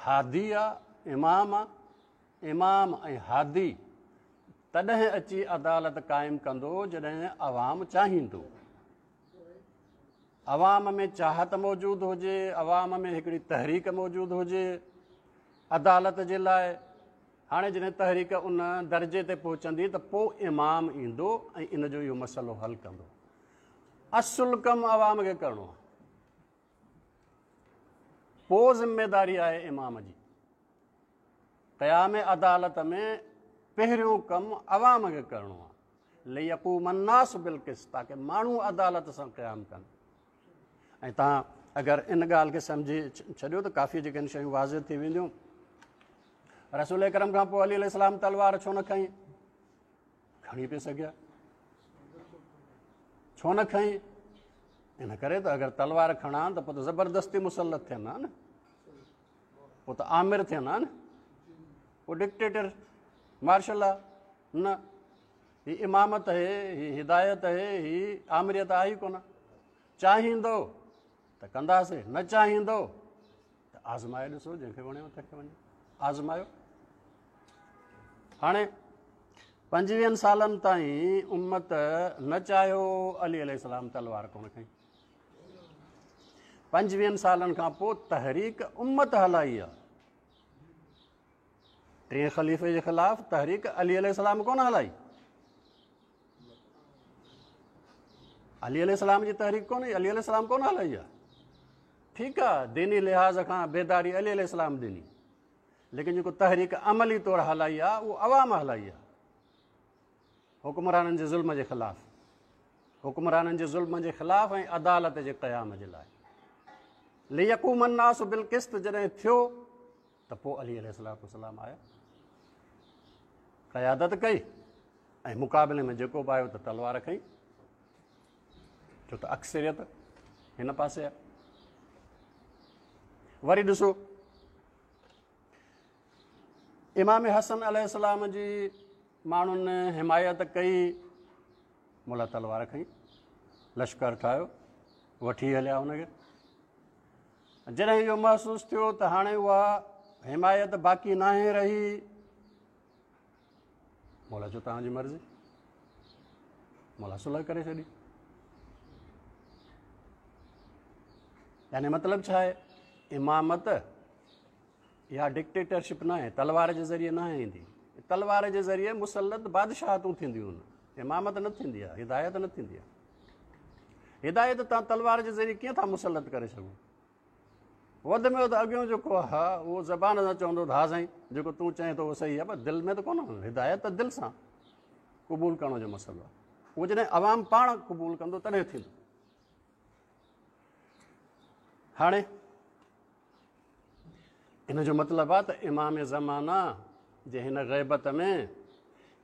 هادي آ، امام آ. امام ۽ هادي تڏهن اچي عدالت قائم ڪندو جڏهن عوام چاهيندو. عوام ۾ چاهت موجود هجي، عوام ۾ هڪڙي تحريڪ موجود هجي عدالت جي لاء. هاڻي جڏهن تحريڪ ان درجي تي پهچندي ته پوء امام ايندو ۽ ان جو اهو مسئلو حل ڪندو. اصل ڪم عوام کي ڪرڻو آهي، پوء ذميداري آهي امام جي. قيام عدالت ۾ پهريون ڪم عوام کي ڪرڻو آهي. ليقوم الناس بالقسط، تاڪه ماڻهو عدالت سان قيام ڪن. ۽ توهان اگر ان ڳالهه کي سمجهي ڇڏيو ته ڪافي جيڪي آهن شيون واضح ٿي وينديون. رسول اڪرم کان پوء علي عليه السلام تلوار ڇو نه کنئي؟ کڻي پئي سگهيا، ڇو نه کنئي؟ ان ڪري ته اگر تلوار کڻان ته پوء ته زبردستي مسلط ٿين ها نه، پوء ته آمر ٿين ها نه، پوء ڊڪٽيٽر مارشل لا نه. هي امامت هي، هي هدايت هي، هي آمريت آهي ئي ڪونه. چاهيندو ته ڪنداسي، نه چاهيندو ته آزمائي ڏسو، جنهن کي وڻيو تنهن کي وڃي آزمايو. هاڻي 25 سالن تائين امت نه چاهيو علي عليه السلام تلوار ڪونه کنئي. 25 سالن کان پوء تحريڪ امت هلائي آ. ٽئين خليفي جي خلاف تحريڪ علي عليه السلام ڪونه هلائي. علي عليه السلام جي تحريڪ ڪونه، علي عليه السلام ڪونه هلائي آ. ٺيڪ آ، ديني لحاظ کان بيداري علي عليه السلام ڏني، ليڪن جيڪو تحريڪ عملي طور هلائي آ اهو عوام هلائي آ، حڪمرانن جي ظلم جي خلاف، حڪمرانن جي ظلم جي خلاف ۽ عدالت جي قيام جي لاء. ليقوم الناس بالقسط جڏهن ٿيو ته پوء علي عليه الصلوة والسلام آيا، قيادت ڪئي ۽ مقابلي ۾ جيڪو به آيو ته تلوار کنئي، ڇو ته اڪثريت هن پاسي آهي. وري ڏسو امام حسن عليه السلام جي ماڻهن حمايت ڪئي، مولا تلوار کنئي، لشڪر ٺاهيو، وٺي هليا هن کي. جڏهن اهو محسوس ٿيو ته هاڻي اها حمايت باقي ناهي رهي. مولا چيو توهان جي مرضي. مولا صلح ڪري ڇڏي. يعني مطلب ڇا آهي؟ امامت اها ڊڪٽيٽرشپ نه آهي، تلوار جي ذريعي نه ايندي. تلوار جي ذريعي مسلط بادشاهتون ٿينديون آهن، امامت نه ٿيندي آهي، هدايت نه ٿيندي آهي. هدايت توهان تلوار جي ذريعي ڪيئن ٿا مسلط ڪري سگهو؟ وڌ ۾ وڌ اڳيون جيڪو آهي اهو زبان سان چوندو ته ها سائين جيڪو تون چئين ٿو اهو صحيح آهي، پر دل ۾ ته ڪونه. هدايت ته دل سان قبول ڪرڻ جو مسئلو آهي، اهو جڏهن عوام پاڻ قبول ڪندو تڏهن ٿيندو. هاڻي ان جو مطلب آهي ته امام زمانه جي هن غيبت ۾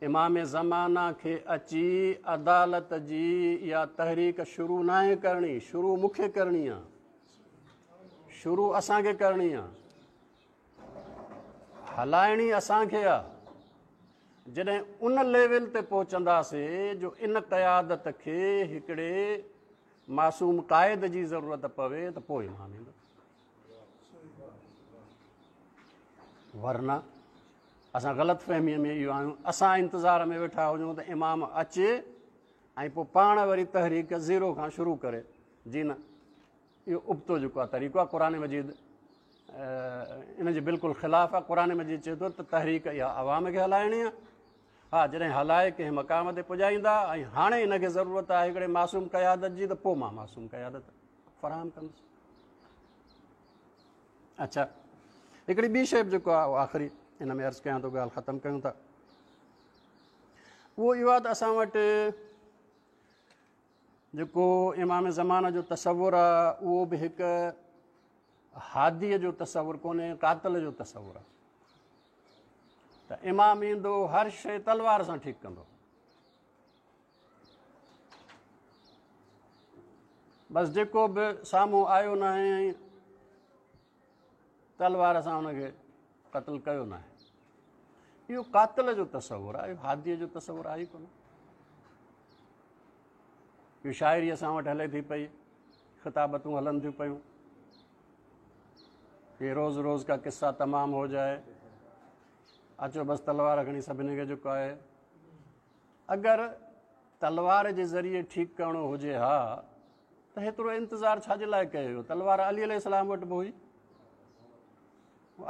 امام زمانه کي اچي عدالت جي اها تحريڪ شروع ناهي ڪرڻي، شروع مون کي ڪرڻي آهي، شروع اسان کي ڪرڻي آهي، هلائڻي اسان کي آهي. جڏهن ان ليول تي پهچنداسي جو ان قيادت کي هڪڙي معصوم قائد جي ضرورت پوي ته پوء امام ايندو، ورنه اسان غلط فهميء ۾ اهو آهيون، اسان انتظار ۾ ويٺا هجون ته امام اچي ۽ پوء پاڻ وري تحريڪ زيرو کان شروع ڪري. جي نه، اهو ابتو جيڪو آهي طريقو آهي، قرآن مجيد ان جي بلڪل خلاف آهي. قرآن مجيد چئي ٿو ته تحريڪ اها عوام کي هلائڻي آهي. ها، جڏهن هلائي ڪنهن مقام تي پڄائيندا ۽ هاڻي ان کي ضرورت آهي هڪڙي معصوم قيادت جي ته پوء مان معصوم قيادت فراهم ڪندس. اڇا، هڪڙي ٻي شيء به جيڪو آهي آخري ان ۾ عرض ڪيان ٿو، ڳالهه ختم ڪيون ٿا، اهو اهو آهي ته اسان وٽ جيڪو امام زمان جو تصور آهي اهو به هڪ هاديء جو تصور ڪونهي، قاتل جو تصور آهي ته امام ايندو هر شيء تلوار سان ٺيڪ ڪندو. بس جيڪو به سامهون آيو ناهي تلوار سان ان کي قتل ڪيو ناهي. اهو قاتل جو تصور آهي، اهو هاديء جو تصور آهي ئي ڪونه. اهو شاعري اسان وٽ هلي ٿي پئي، خطابتون هلن ٿيون پيون، هي روز روز کا قصا تمام هو جائي، اچو بس تلوار کڻي سڀني کي جيڪو آهي. اگر تلوار جي ذريعي ٺيڪ ڪرڻو هجي ها ته هيترو انتظار ڇا جي لاء ڪيو ويو؟ تلوار علي عليه السلام وٽ به هئي،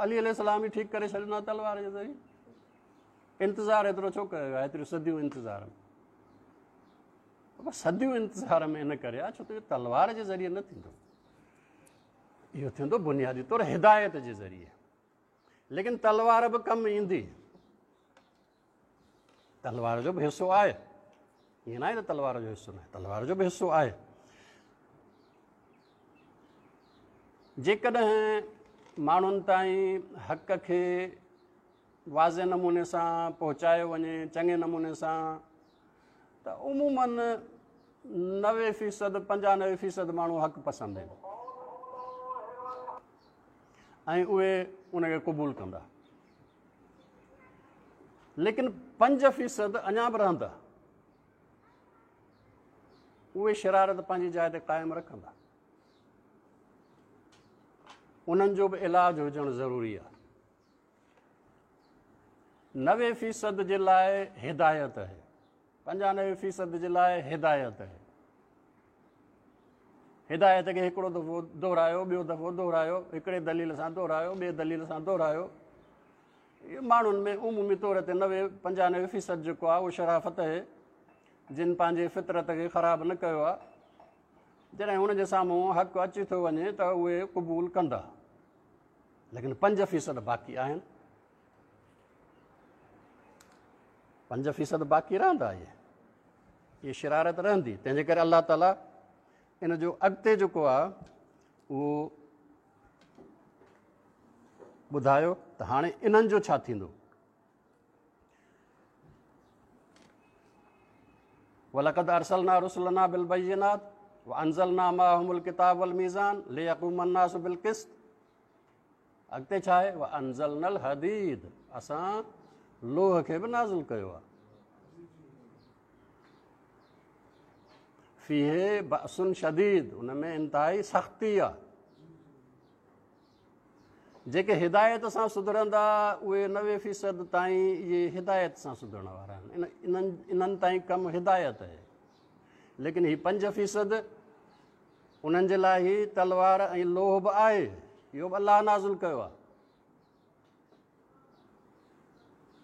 علي عليه السلام ئي ٺيڪ ڪري ڇڏيو نه تلوار جي ذريعي. انتظار ايترو ڇو ڪيو ويو؟ ايتريون صديون انتظار ۾، بابا صديون انتظار ۾ ان ڪري آهي ڇو ته اهو تلوار جي ذريعي نه ٿيندو، اهو ٿيندو بنيادي طور هدايت جي ذريعي. ليڪن تلوار به ڪم ايندي، تلوار جو به حصو آهي، ائين ناهي ته تلوار جو حصو ناهي، تلوار جو به حصو آهي. جيڪڏهن ماڻهن تائين حق کي واضح نموني سان پهچايو وڃي، چڱي نموني سان، ته عموماً 90% 95% ماڻهو حق پسند آهن ۽ اهي ان کي قبول ڪندا، ليڪن 5% اڃا به رهندا، اهي شرارت پنهنجي جاء تي قائم رکندا. انهن جو به علاج هجڻ ضروري آهي. 90% جي لاء هدايت آهي، 95% جي لاء هدايت آهي. هدايت کي هڪڙو دفعو دهرايو، ٻيو دفعو دهرايو، هڪڙي دليل سان دهرايو، ٻئي دليل سان دهرايو. اهو ماڻهن ۾ عمومي طور تي 90 95% جيڪو آهي اهو شرافت آهي، جن پنهنجي فطرت کي خراب نه ڪيو آهي. جڏهن هن جي سامهون حق اچي ٿو وڃي ته اهي قبول ڪندا، ليڪن 5% باقي آهن، 5% باقي رهندا، اهي شرارت رهندي. تنهن جي ڪري الله تعاليٰ ان جو اڳتي جيڪو آهي اهو ٻڌايو ته هاڻي انهن جو ڇا ٿيندو. ولقد ارسلنا رسلنا بالبينات وانزلنا معهم الڪتاب والميزان ليقوم الناس بالقسط. اڳتي ڇا آهي؟ وانزلنا الحديد، اسان لوهه کي به نازل ڪيو آهي. فيه بأس شديد، ان ۾ انتهائي سختي آهي. جيڪي هدايت سان سڌرندا اهي 90% تائين اهي هدايت سان سڌرڻ وارا آهن. انهن تائين ڪم هدايت آهي، ليڪن هي 5% انهن جي لاء هي تلوار ۽ لوهه به آهي، اهو به الله نازل ڪيو آهي.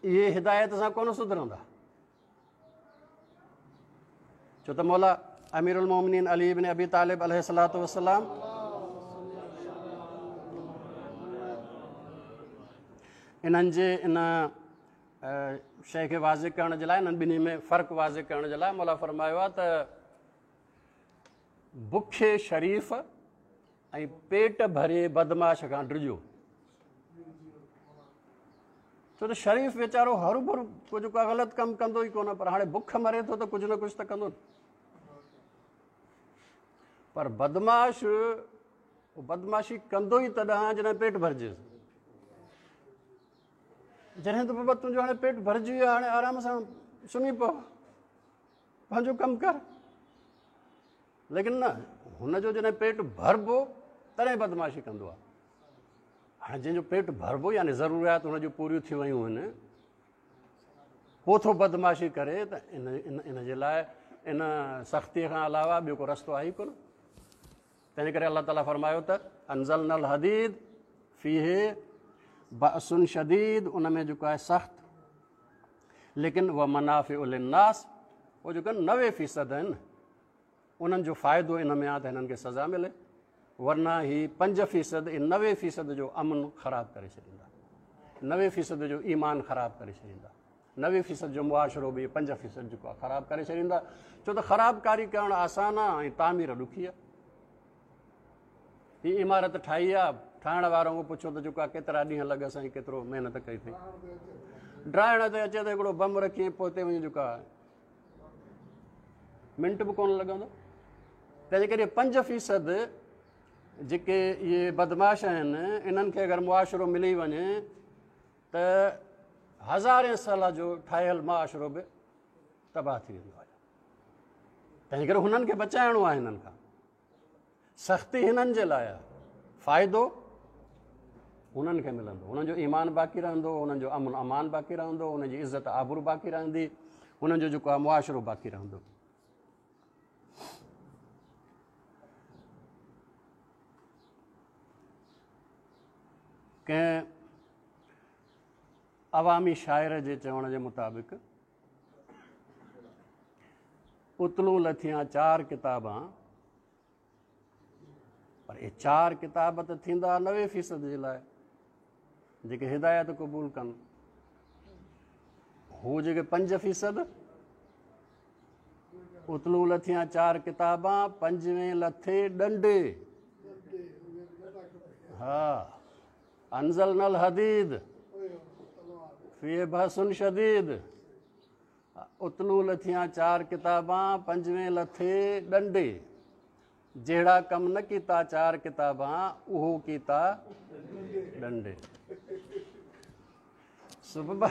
اهي هدايت سان ڪونه سڌرندا، ڇو ته مولا امير المومنين علي بن ابي طالب عليه الصلوة والسلام انهن جي ان شيء کي واضح ڪرڻ جي لاء، انهن ٻنهي ۾ فرق واضح ڪرڻ جي لاء مولا فرمايو آهي ته بکي شريف ۽ پيٽ ڀري بدمعاش کان ڊڄو. ڇو ته شريف ويچارو هروڀرو ڪجهه ڪا غلط ڪم ڪندو ئي ڪونه، پر هاڻي بک مري ٿو ته ڪجهه نه ڪجهه ته ڪندو نه. پر بدمعاش بدمعاشي ڪندو ئي تڏهن جڏهن پيٽ ڀرجيس. جڏهن ته بابا تنهنجو هاڻي پيٽ ڀرجي ويو، هاڻي آرام سان سمهي پئو، پنهنجو ڪم ڪر. ليڪن نه، هن جو جڏهن پيٽ ڀربو تڏهن بدمعاشي ڪندو آهي. هاڻي جنهن جو پيٽ ڀربو يعني ضروريات هن جون پوريون ٿي ويون آهن، پوء ٿو بدمعاشي ڪري ته ان جي لاء ان سختيء کان علاوه ٻيو ڪو رستو آهي ئي ڪونه. تنهن ڪري الله تعاليٰ فرمايو ته انزلنا الحديد فيه بأس شديد، ان ۾ جيڪو آهي سخت، ليڪن ومنافع للناس، هو جيڪو 90% آهن انهن جو فائدو ان ۾ آهي ته هنن کي سزا ملي، ورنه هي 5% ۽ 90% جو امن خراب ڪري ڇڏيندا، 90% جو ايمان خراب ڪري ڇڏيندا، 90% جو معاشرو به 5% جيڪو آهي خراب ڪري ڇڏيندا. ڇو ته خرابڪاري ڪرڻ آسان آهي ۽ تعمير ڏکي آهي. هي عمارت ٺاهي آهي، ٺاهڻ وارو کان پڇو ته جيڪو آهي ڪيترا ڏينهن لڳس ۽ ڪيترو محنت ڪئي اٿئي. ڊاهڻ تي اچي ته هڪڙو بم رکي ۽ پوئتي وڃي جيڪو آهي منٽ به ڪونه لڳندو. تنهن ڪري 5% جيڪي اهي بدمعاش آهن انهن کي اگر معاشرو ملي وڃي ته هزارين سال جو ٺاهيل معاشرو به تباهه ٿي ويندو آهي. تنهن ڪري هنن کي بچائڻو آهي، هنن کان سختي هنن جي لاء آهي، فائدو هنن کي ملندو، هنن جو ايمان باقي رهندو، هنن جو امن امان باقي رهندو، هنن جي عزت آبرو باقي رهندي، هنن جو جيڪو آهي معاشرو باقي رهندو. ڪنهن عوامي شاعر جي چوڻ جي مطابق اتلون لٿيان 4 ڪتابان، پر اهي 4 ڪتاب ته ٿيندا 90% جي لاء جيڪي هدايت قبول ڪن، هو جيڪي 5% اتلون لٿيان 4 ڪتابان، پنجوين لٿي ڏنڊي. ها، انزلنا الحديد فيه بأس شديد، اتلون لٿيان 4 ڪتابان، پنجوين لٿي ڏنڊي. جهڙا ڪم نه ڪيتا 4 ڪتابان، اهو ڪيتا ڏنڊي. سبب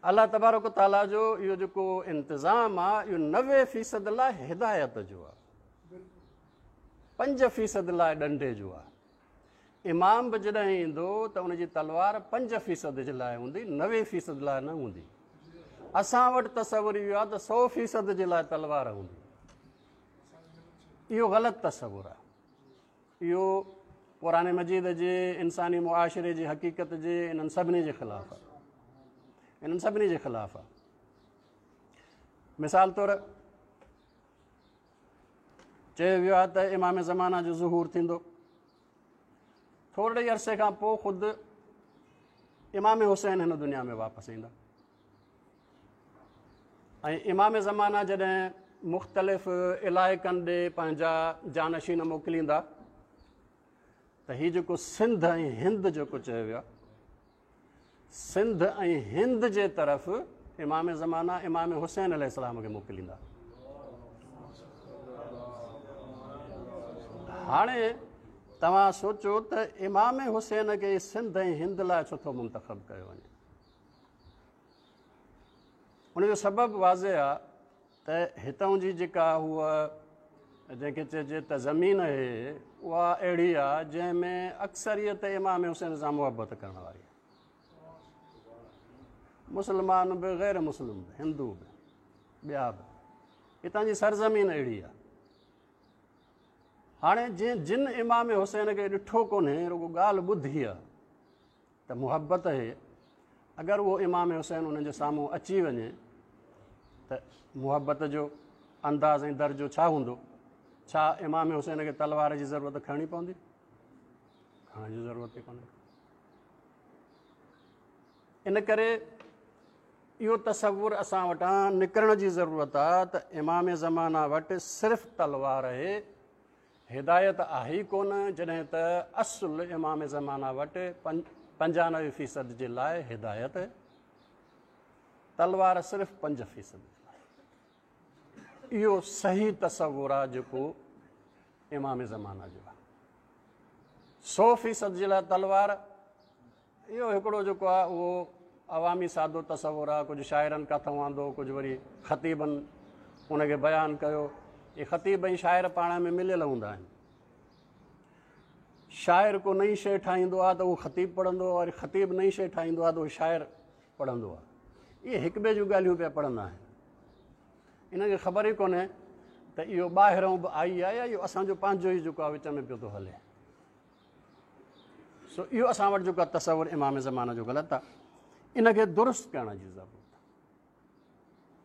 الله تبارڪ تعاليٰ جو اهو جيڪو انتظام آهي اهو 90% لاء هدايت جو آهي، 5% لاء ڏنڊي جو آهي. امام به جڏهن ايندو ته ان جي تلوار 5% جي لاء هوندي، 90% لاء نه هوندي. اسان وٽ تصور اهو آهي ته 100% جي لاء تلوار هوندي. اهو غلط تصور آهي. اهو قرآن مجيد جي انساني معاشري جي حقيقت جي انهن سڀني جي خلاف آهي، انهن سڀني جي خلاف آهي. مثال طور چيو ويو آهي ته امام زمانه جو ظهور ٿيندو، ٿورڙي عرصي کان پوء خود امام حسين هن دنيا ۾ واپس ايندا ۽ امام زمانه جڏهن مختلف علائقن ڏي پنهنجا جانشين موڪليندا ته هي جيڪو سنڌ ۽ هند جيڪو چيو ويو آهي، سنڌ ۽ هند جي طرف امام زمانه امام حسين عليه السلام کي موڪليندا. هاڻي توهان سوچو ته امام حسين کي سنڌ ۽ هند لاء ڇو ٿو منتخب ڪيو وڃي؟ ان جو سبب واضح آهي ته هتان جي جيڪا هوء جنهن کي چئجي ته زمين اهي اها اهڙي آهي جنهن ۾ اڪثريت امام حسين سان محبت ڪرڻ واري آهي. مسلمان به غير مسلم به هندو به ٻيا به، هتان جي سرزمين اهڙي آهي. هاڻي جن جن امام حسين کي ڏٺو ڪونهي، رڳو ڳالهه ٻڌي آهي ته محبت آهي، اگر اهو امام حسين انهن جي سامهون اچي وڃي ته محبت جو انداز ۽ درجو ڇا هوندو؟ ڇا امام حسين کي تلوار جي ضرورت کڻڻي پوندي؟ کڻڻ جي ضرورت ئي ڪونهي. ان ڪري اهو تصور اسان وٽان نڪرڻ جي ضرورت آ ته امام زمانه وٽ صرف تلوار آهي، هدايت آهي ئي ڪونه، جڏهن ته اصل امام زمانه وٽ 95% جي لاء هدايت، تلوار صرف 5% جي لاء. اهو صحيح تصور آ جيڪو امام زمانه جو آ. 100% جي لاء تلوار، اهو هڪڙو جيڪو آهي اهو عوامي سادو تصور آهي. ڪجهه شاعرن ڪاٿئون آندو، ڪجهه وري خطيبن ان کي بيان ڪيو. اهي خطيب ۽ شاعر پاڻ ۾ مليل هوندا آهن. شاعر ڪو نئين شيء ٺاهيندو آهي ته اهو خطيب پڙهندو آهي، وري خطيب نئين شيء ٺاهيندو آهي ته اهو شاعر پڙهندو آهي. اهي هڪ ٻئي جون ڳالهيون پيا پڙهندا آهن. انهن کي خبر ئي ڪونهي ته اهو ٻاهرئون به آئي آهي يا اهو اسان جو پنهنجو ئي جيڪو آهي وچ ۾ پيو ٿو هلي. سو اهو اسان وٽ جيڪو تصور امام زمانه جو غلط آهي، ان کي درست ڪرڻ جي ضرورت آهي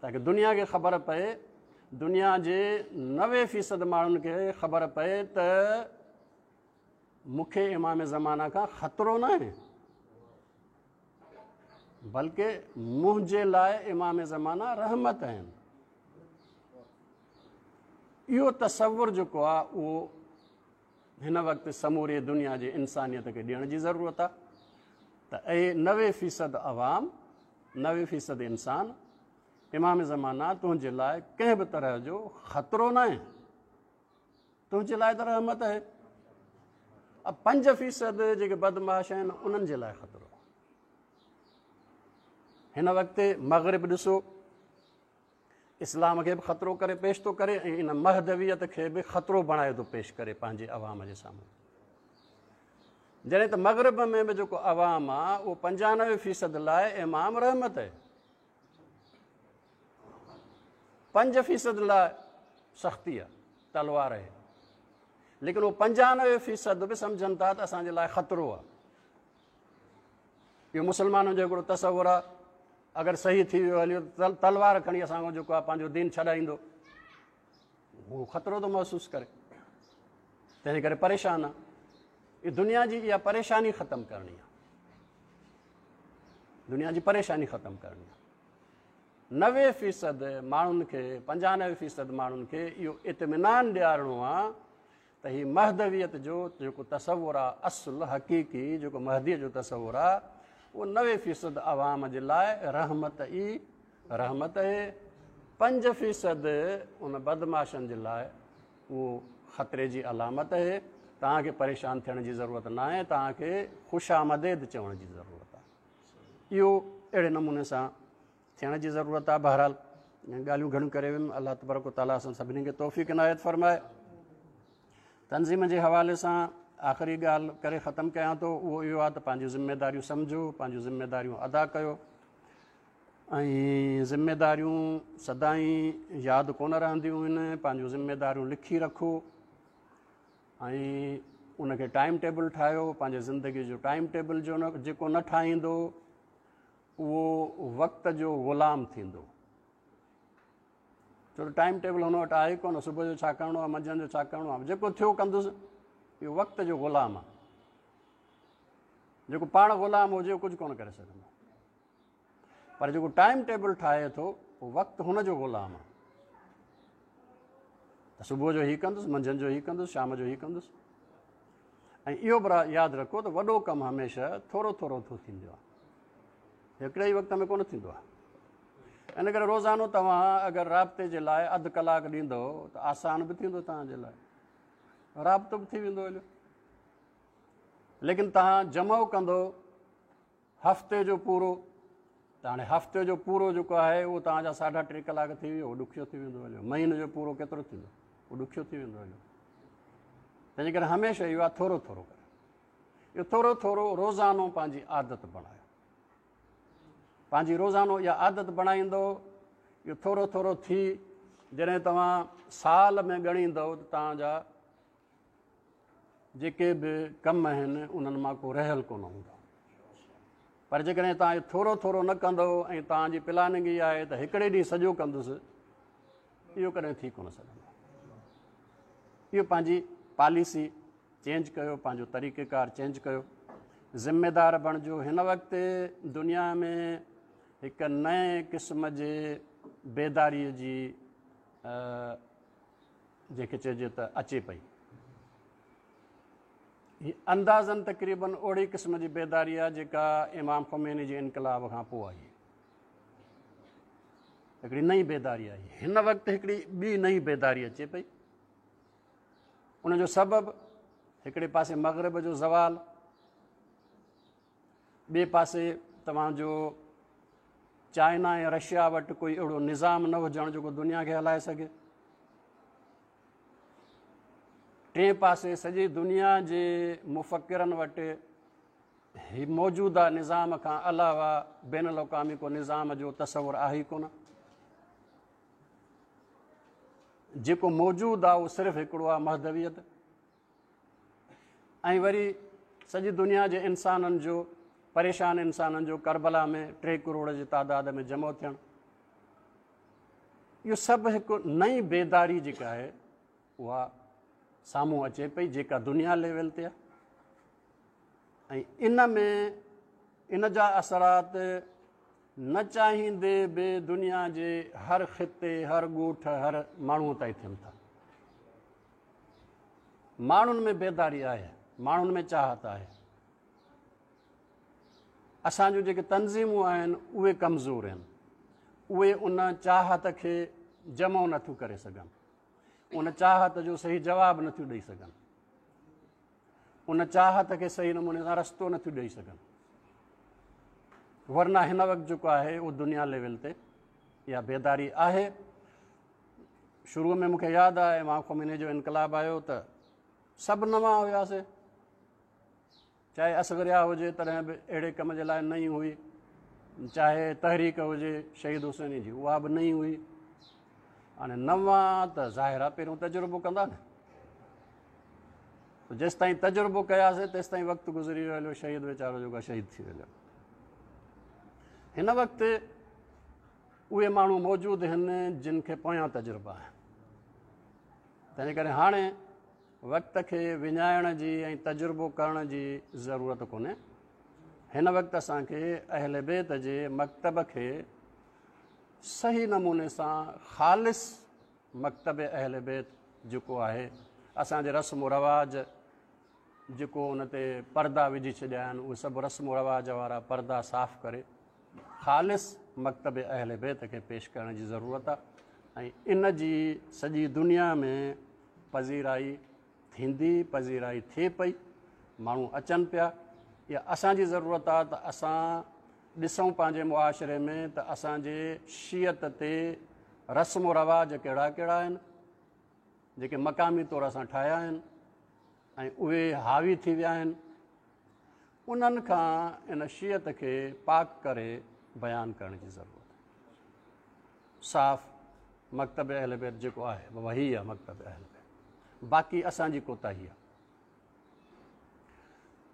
تاڪه دنيا کي خبر پئي، دنيا جي 90% ماڻهن کي خبر پئي ته مون کي امام زمانه کان خطرو نه آهي، بلڪه منهنجي لاء امام زمانه رحمت آهن. اهو تصور جيڪو آهي اهو هن وقت سموري دنيا جي انسانيت کي ڏيڻ جي ضرورت آهي ته اي 90% عوام، 90% انسان، امام زمانه تنهنجي لاء ڪنهن به طرح جو خطرو ناهي، تنهنجي لاء ته رحمت آهي. 5% جيڪي بدمعاش آهن انهن جي لاء خطرو آهي. هن وقت مغرب ڏسو، اسلام کي به خطرو ڪري پيش ٿو ڪري ۽ ان مهدويت کي به خطرو بڻائي ٿو پيش ڪري پنهنجي عوام جي سامهون. جڏهن ته مغرب ۾ به جيڪو عوام آ اهو 95% لاء امام رحمت آهي، 5% لاء سختي آ، تلوار آهي، ليڪن اهو 95% به سمجهن ٿا ته اسان جي لاء خطرو آ. اهو مسلمانن جو هڪڙو تصور آ، اگر صحيح ٿي ويو هليو ته تلوار کڻي اسان کان جيڪو آ پنهنجو دين ڇڏائيندو، هو خطرو ٿو محسوس ڪري، تنهن ڪري پريشان آ. اها دنيا جي اها پريشاني ختم ڪرڻي آ، دنيا جي پريشاني ختم ڪرڻي آ. 90% ماڻهن کي، 95% ماڻهن کي اهو اطمينان ڏيارڻو آ ته هي مهدويت جو جيڪو تصور آ، اصل حقيقي جيڪو مهديء جو تصور آ، اهو 90% عوام جي لاء رحمت ئي رحمت اهي، 5% ان بدمعاشن جي لاء اهو خطري جي علامت اهي. توهان کي پريشان ٿيڻ جي ضرورت ناهي، توهان کي خوش آمديد چوڻ جي ضرورت آ. اهو اهڙي نموني سان ٿيڻ جي ضرورت آهي. بهرحال ڳالهيون گهڻيون ڪري ويم. الله تبارڪ و تعاليٰ اسان سڀني کي توفيق عنايت فرمائي. تنظيم جي حوالي سان آخري ڳالهه ڪري ختم ڪيان ٿو، اهو اهو آهي ته پنهنجون ذميداريون سمجهو، پنهنجون ذميداريون ادا ڪيو ۽ ذميداريون سدائين ياد ڪونه رهنديون آهن، پنهنجون ذميداريون لکي رکو ۽ ان کي ٽائيم ٽيبل ٺاهيو. پنهنجي زندگي جو ٽائيم ٽيبل جو نه جيڪو نه ٺاهيندو اهو وقت جو غلام ٿيندو، ڇو ته ٽائيم ٽيبل هن وٽ آهي ڪونه. صبح جو ڇا ڪرڻو آهي، منجهند جو ڇا ڪرڻو آهي، جيڪو ٿيو ڪندس. اهو وقت جو غلام آهي. جيڪو پاڻ غلام هجي اهو ڪجهه ڪونه ڪري سگهندو، پر جيڪو ٽائيم ٽيبل ٺاهي ٿو اهو وقت هن جو غلام آهي. ته صبح جو هي ڪندس، منجهند جو هي ڪندس، شام جو هي ڪندس. ۽ اهو به ياد رکو ته وڏو ڪم هميشه ٿورو ٿورو ٿو ٿيندو آهي، هڪڙي ئي وقت ۾ ڪونه ٿيندو آهي. ان ڪري روزانو توهان اگر رابطي جي لاء اڌ ڪلاڪ ڏيندو ته آسان به ٿيندو توهان جي لاء، رابطو به ٿي ويندو هليو. ليڪن توهان جمع ڪندو هفتي جو پورو، ته هاڻي هفتي جو پورو جيڪو آهي اهو توهان جا 3.5 ڪلاڪ ٿي ويو، اهو ڏکيو ٿي ويندو هليو. مهيني جو پورو ڪيترو ٿيندو؟ اهو ڏکيو ٿي ويندو هليو. تنهنجي ڪري هميشه اهو آهي ٿورو ٿورو ڪري، اهو ٿورو ٿورو روزانو پنهنجي عادت بڻايو. پنهنجي روزانو اها عادت بڻائيندو، اهو ٿورو ٿورو ٿي جڏهن توهان سال ۾ ڳڻيندؤ ته توهان جا جيڪي به ڪم آهن انهن مان ڪو رهيل ڪونه هوندو. پر جيڪڏهن توهان اهو ٿورو ٿورو نه ڪندؤ ۽ توهان جي پلاننگ اها آهي ته هڪڙي ڏينهن سڄو ڪندس، اهو ڪڏهن ٿي ڪونه سگهندو. اهو پنهنجي پاليسي چينج ڪيو، پنهنجو طريقيڪار چينج ڪيو، ذميدار بڻجو. هن وقت دنيا ۾ هڪ نئين قسم جي بيداريء جي جنهن کي چئجي ته اچي پئي. هي اندازن تقريبن اهڙي قسم جي بيداري آهي جيڪا امام خميني جي انقلاب کان پوء آئي. هڪڙي نئين بيداري آئي. هن وقت هڪڙي ٻي نئين بيداري اچي پئي. ان جو سبب هڪڙي پاسي مغرب جو زوال، ٻئي پاسي توهان جو چائنا ۽ رشيا وٽ ڪوئي اهڙو نظام نه هجڻ جيڪو دنيا کي هلائي سگهي، ٽئين پاسي سڄي دنيا جي مفڪرن وٽ هي موجوده نظام کان علاوه بين الاقوامي ڪو نظام جو تصور آهي ئي ڪونه. جيڪو موجود آهي اهو صرف هڪڙو آهي، مهدويت. ۽ وري سڄي دنيا جي انسانن جو، پريشان انسانن جو ڪربلا ۾ 3 ڪروڙ جي تعداد ۾ جمع ٿيڻ، اهو سڀ هڪ نئين بيداري جيڪا آهي اها سامهون اچي پئي، جيڪا دنيا ليول تي آهي. ۽ ان ۾ ان جا اثرات نه چاهيندي به دنيا جي هر خطي، هر ڳوٺ، هر ماڻهوء تائين ٿين ٿا. ماڻهن ۾ بيداري آهي، ماڻهن ۾ چاهت آهي. اسان جون جيڪي تنظيمون آهن اهي ڪمزور آهن، اهي ان چاهت کي جمع نٿيون ڪري سگهن، ان چاهت جو صحيح جواب نٿيون ڏئي سگهن، ان چاهت کي صحيح نموني سان رستو نٿيون ڏئي سگهن. ورنه هن وقت جيڪو آهي اهو دنيا ليول تي اها بيداري آهي. شروع ۾ مونکي ياد آهي امام خميني جو انقلاب آيو ته سڀ نوان هياسي، چاهي اصغريا هجي تڏهن به اهڙي ڪم جي لاء نئين هئي، چاهي تحريڪ هجي شهيد حسيني جي اها به نئين هئي. هاڻي نوان ته ظاهر آهي پهريون تجربو ڪندا نه، جيستائين تجربو ڪياسي تيستائين وقت گذري ويو هليو، شهيد ويچارو جيڪو شهيد ٿي ويو. هن وقت اهي ماڻهو موجود آهن جن کي پويان تجربا آهن، تنهن ڪري هاڻي وقت کي وڃائڻ جي ۽ تجربو ڪرڻ جي ضرورت ڪونهي. هن وقت اسان کي اهل بيت جي مڪتب کي صحيح نموني سان خالص مڪتب اهل بيت جيڪو آهي، اسان جي رسم و رواج جيڪو ان تي پردا وجهي ڇڏيا آهن، اهي سڀ رسم و رواج وارا پردا صاف ڪري خالص مڪتب اهل بيت کي پيش ڪرڻ جي ضرورت آهي. ۽ ان جي سڄي دنيا ۾ پذيرائي ٿيندي، پذيرائي ٿئي پئي، ماڻهو اچن پيا. اها اسان جي ضرورت آهي ته اسان ڏسون پنهنجي معاشري ۾ ته اسان جي شيعت تي رسم و رواج ڪهڙا ڪهڙا آهن جيڪي مقامي طور اسان ٺاهيا آهن ۽ اهي حاوي ٿي ويا آهن، انهن کان ان شيعت کي پاڪ ڪري بيان ڪرڻ جي ضرورت آهي. صاف مڪتب اهل بيت جيڪو آهي بابا هي آهي مڪتب اهل بيت، باقي اسان جي ڪوتاهي آهي.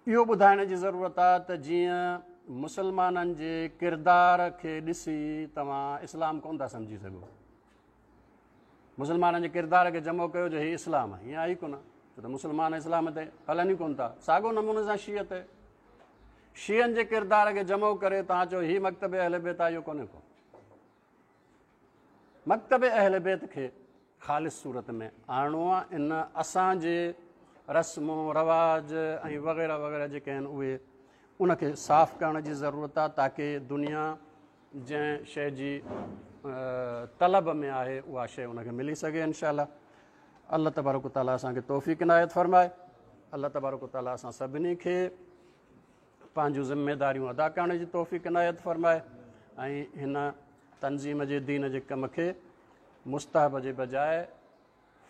اهو ٻڌائڻ جي ضرورت آهي ته جيئن مسلمانن جي ڪردار کي ڏسي توهان اسلام ڪونه ٿا سمجهي سگهو، مسلمانن جي ڪردار کي جمع ڪيو جو هي اسلام آهي، ائين آهي ئي ڪونه، ڇو ته مسلمان اسلام تي هلن ئي ڪونه ٿا. ساڳو نموني سان شيعت تي، شيعن جي ڪردار کي جمع ڪري توهان چئو هي مڪتب اهل بيت آهي، اهو ڪونهي ڪو. مڪتب اهل بيت کي خالص صورت ۾ آڻڻو آهي. ان اسان جي رسم و رواج ۽ وغيره وغيره جيڪي آهن اهي ان کي صاف ڪرڻ جي ضرورت آهي، تاڪه دنيا جنهن شيء جي طلب ۾ آهي اها شيء ان کي ملي سگهي انشاء الله. الله تبارڪ و تعاليٰ اسان کي توفيق عنايت فرمائي. الله تبارڪ و تعاليٰ اسان سڀني کي پنهنجون ذميداريون ادا ڪرڻ جي توفيق عنايت فرمائي ۽ هن تنظيم جي دين جي ڪم کي مستحب جي بجاء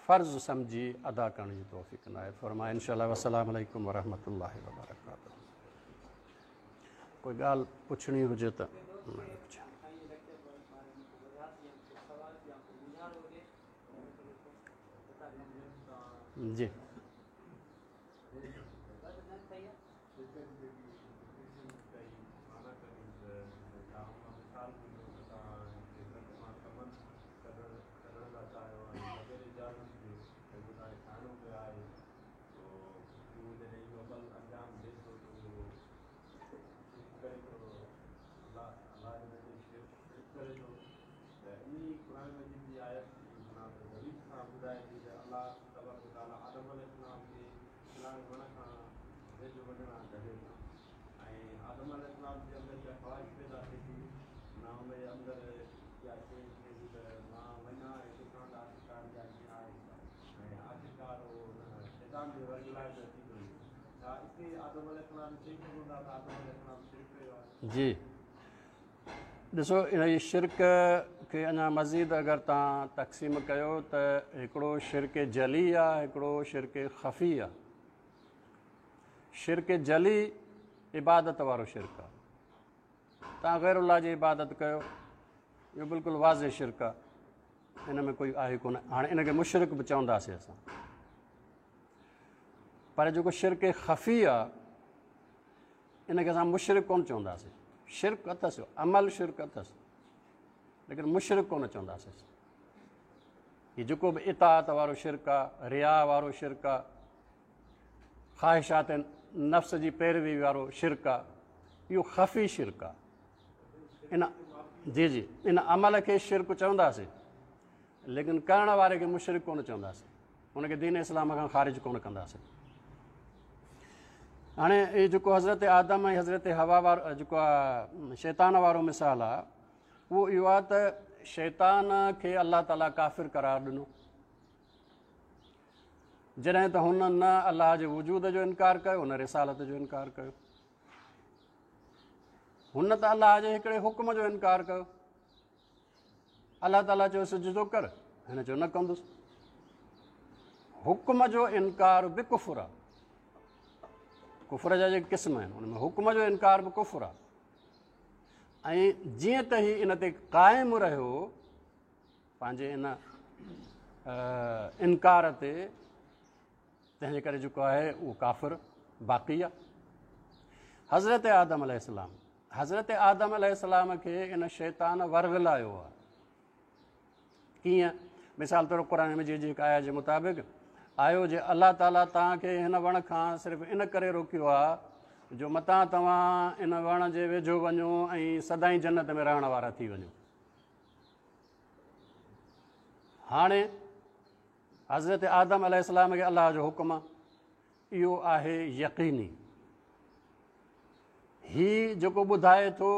فرض سمجهي ادا ڪرڻ جي توفيق عنايت فرمائي. انشاء الله. والسلام عليڪم ورحمة الله وبرڪاته. ڪوئي ڳالهه پڇڻي هجي ته جي. جي ڏسو، ان جي شرڪ کي اڃا مزيد اگر توهان تقسيم ڪيو ته هڪڙو شرڪ جلي آ، هڪڙو شرڪ خفي آ. شرڪ جلي عبادت وارو شرڪ آ. توهان غير الله جي عبادت ڪيو، اهو بلڪل واضح شرڪ آ، ان ۾ ڪوئي آهي ڪونه. هاڻي ان کي مشرڪ به چونداسين اسان. پر جيڪو شرڪ خفي آ، ان کي اسان مشرڪ ڪونه چونداسين. شرڪ اٿس، عمل شرڪ اٿس، ليڪن مشرڪ ڪونه چونداسين. هي جيڪو به اطاعت وارو شرڪ آ، ريا وارو شرڪ آ، خواهشات نفس جي پيروي وارو شرڪ آ، اهو خفي شرڪ آ. ان جي جي ان عمل کي شرڪ چونداسين، ليڪن ڪرڻ واري کي مشرڪ ڪونه چونداسين، ان کي دين اسلام کان خارج ڪونه ڪنداسين. هاڻي هي جيڪو حضرت آدم ۽ حضرت حوا وارو جيڪو شيطان وارو مثال آ، اهو اهو آ ته شيطان کي الله تعاليٰ ڪافر قرار ڏنو، جڏهن ته هن نه الله جي وجود جو انڪار ڪيو، نه رسالت جو انڪار ڪيو. هن ته الله جي هڪڙي حڪم جو انڪار ڪيو. الله تعاليٰ چيو سجدو ڪر، هن چيو نه ڪندس. حڪم جو انڪار به ڪفر آ. ڪفر جا جيڪي قسم آهن، ان ۾ حڪم جو انڪار به ڪفر آ. ۽ جيئن ته هي ان تي قائم رهيو پنهنجي ان انڪار تي، تنهن جي ڪري جيڪو آهي اهو ڪافر باقي آ. حضرت آدم عليه السلام، حضرت آدم عليه السلام کي ان شيطان ورغلايو آ. ڪيئن؟ مثال طور قرآن مجيد جي هڪ آيت جي مطابق آيو جي الله تعاليٰ توهان کي هن وڻ کان صرف ان ڪري روڪيو آ جو متان توهان ان وڻ جي ويجهو وڃو ۽ سدائين جنت ۾ رهڻ وارا ٿي وڃو. هاڻي حضرت آدم عليه السلام کي الله جو حڪم آ، اهو آهي يقيني. هي جيڪو ٻڌائي ٿو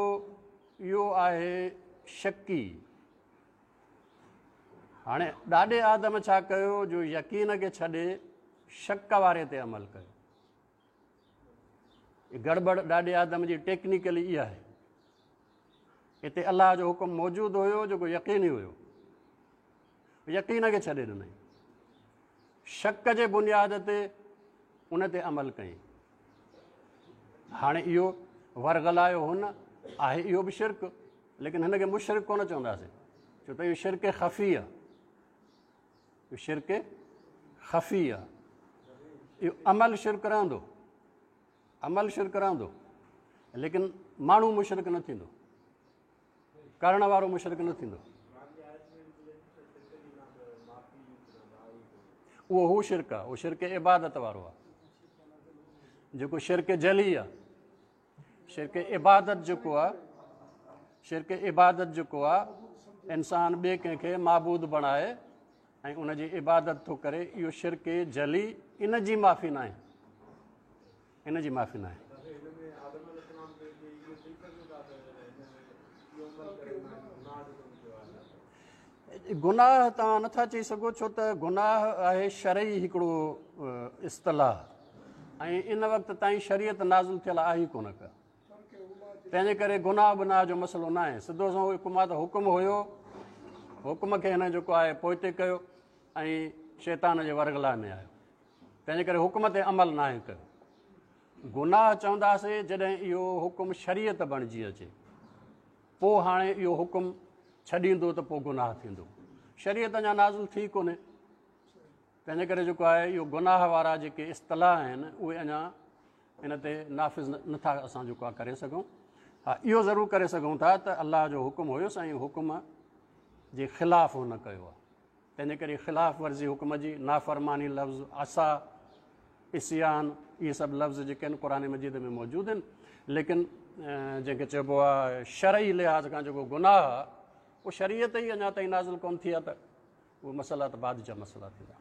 اهو آهي شڪي. هاڻي ڏاڏي آدم ڇا ڪيو جو يقين کي ڇڏي شڪ واري تي عمل ڪيو. گڙٻڙ ڏاڏي آدم جي ٽيڪنيڪلي اها آهي. هتي الله جو حڪم موجود هيو جيڪو يقيني هيو، يقين کي ڇڏي ڏنائين، شڪ جي بنياد تي ان تي عمل ڪيائين. هاڻي اهو ورغلايو هن، آهي اهو به شرڪ، ليڪن هن کي مشرڪ ڪونه چونداسين، ڇو ته اهو شرڪ خفي آهي. اهو شرڪ خفي آهي. اهو عمل شرڪ رهندو، عمل شرڪ رهندو، ليڪن ماڻهو مشرڪ نه ٿيندو، ڪرڻ وارو مشرڪ نه ٿيندو. اهو هو شرڪ آهي، اهو شرڪ عبادت وارو آهي، جيڪو شرڪ جلي آهي. شرڪ عبادت جيڪو آهي، شرڪ عبادت جيڪو آهي، انسان ٻئي ڪنهن کي معبود بڻائي ۽ ان جي عبادت ٿو ڪري، اهو شرڪ جلي، ان جي معافي ناهي، ان جي معافي ناهي. گناهه توهان نٿا چئي سگهو، ڇو ته گناهه آهي شرعي هڪڙو اصطلاح، ۽ ان وقت تائين شريعت نازل ٿيل آهي ڪونه ڪا، تنهن جي ڪري گناهه بناهه جو مسئلو نه آهي. سڌو سنئون حڪم آهي ته حڪم هيو، حڪم کي هن جيڪو آهي پوئتي ڪيو ۽ شيطان جي ورغلاء ۾ آيو، تنهنجي ڪري حڪم تي عمل ناهي ڪيو. گناهه چونداسين جڏهن اهو حڪم شريعت بڻجي اچي، پوء هاڻي اهو حڪم ڇڏيندو ته پوء گناهه ٿيندو. شريعت اڃا نازل ٿي ڪونهي، تنهنجي ڪري جيڪو آهي اهو گناهه وارا جيڪي اصطلاح آهن اهي اڃا ان تي نافذ نٿا اسان جيڪو آهي ڪري سگهون. ها اهو ضرور ڪري سگهون ٿا ته الله جو حڪم هيس ۽ حڪم جي خلاف هن ڪيو آهي، تنهنجي ڪري خلاف ورزي حڪم جي، نافرماني لفظ، عصا، عصيان، اهي سڀ لفظ جيڪي آهن قرآن مجيد ۾ موجود آهن، ليڪن جنهن کي چئبو آهي شرعي لحاظ کان جيڪو گناهه آهي اهو شريعت ئي اڃا تائين نازل ڪونه ٿي آهي ته اهي مسئلا ته بعد جا مسئلا ٿيندا.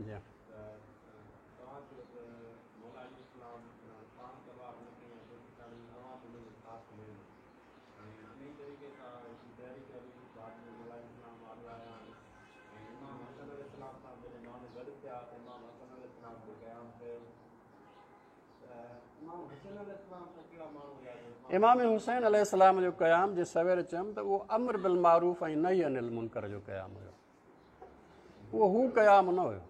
جي امام حسين عليه السلام جو قيام جي سوير چيم ته اهو امر بالمعروف ۽ نهي عن المنڪر جو قيام هيو، اهو هو قيام نه هيو.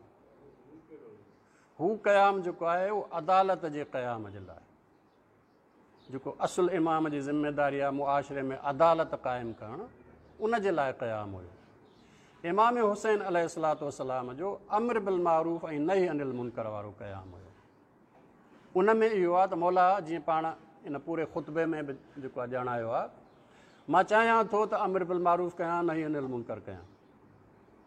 هو قيام جيڪو آهي اهو عدالت جي قيام جي لاء، جيڪو اصل امام جي ذميداري آهي معاشري ۾ عدالت قائم ڪرڻ، ان جي لاء قيام هيو. امام حسين عليه الصلوة والسلام جو امر بالمعروف ۽ نهي عن المنڪر وارو قيام هيو. ان ۾ اهو آهي ته مولا جيئن پاڻ ان پوري خطبي ۾ به جيڪو آهي ڄاڻايو آهي، مان چاهيان ٿو ته امر بالمعروف ڪيان نهي عن المنڪر ڪيان،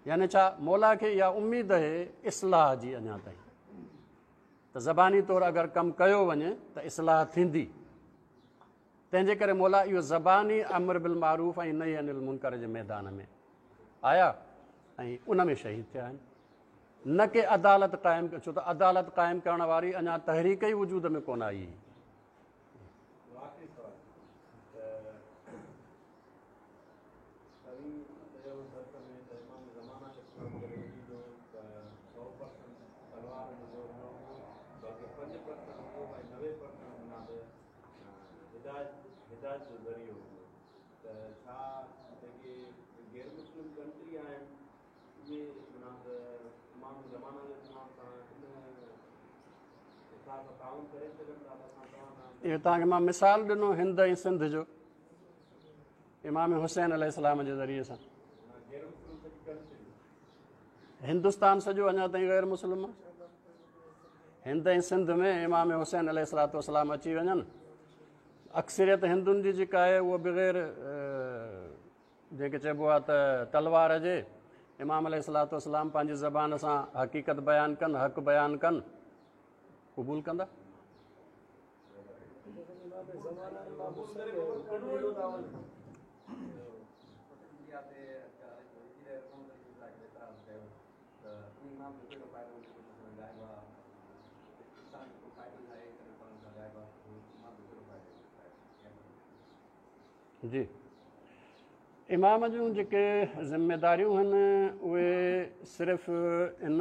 يعني ڇا مولا کي اها اميد آهي اصلاح جي اڃا تائين ته زباني طور اگر ڪم ڪيو وڃي ته اصلاح ٿيندي، تنهن جي ڪري مولا اهو زباني امر بالمعروف ۽ نهي عن المنڪر جي ميدان ۾ آيا ۽ ان ۾ شهيد ٿيا آهن، نه ڪي عدالت قائم، ڇو ته عدالت قائم ڪرڻ واري اڃا تحريڪ ئي وجود ۾ ڪونه آئي هئي. توهين چيو درس ۾ ته امام زمانه عليه السلام جڏهن ايندو ته 100% تلوار جو زور نه هوندو بلڪه 5% هوندو ۽ 90% معنيٰ ته هدايت هدايت جو ذريعو هوندو ته ڇا جيڪي غير مسلم ڪنٽري آهن اهي معنيٰ ته امام زمانه عليه السلام سان ان حساب سان تعاون ڪري سگهن ٿا ته اسان توهان سان اهو توهان کي مان مثال ڏنو هند ۽ سنڌ جو امام حسين عليه السلام جي ذريعي سان. هندستان سڄو اڃا تائين غير مسلم آهي. هند ۽ سنڌ ۾ امام حسين عليه الصلوة والسلام اچي وڃن، اڪثريت هندن جي جيڪا آهي اها بغير جنهن کي چئبو آهي ته تلوار جي امام عليه الصلوة والسلام پنهنجي زبان سان حقيقت بيان ڪن، حق بيان ڪن، قبول ڪندا؟ جي امام جون جيڪي ذميداريون آهن اهي صرف ان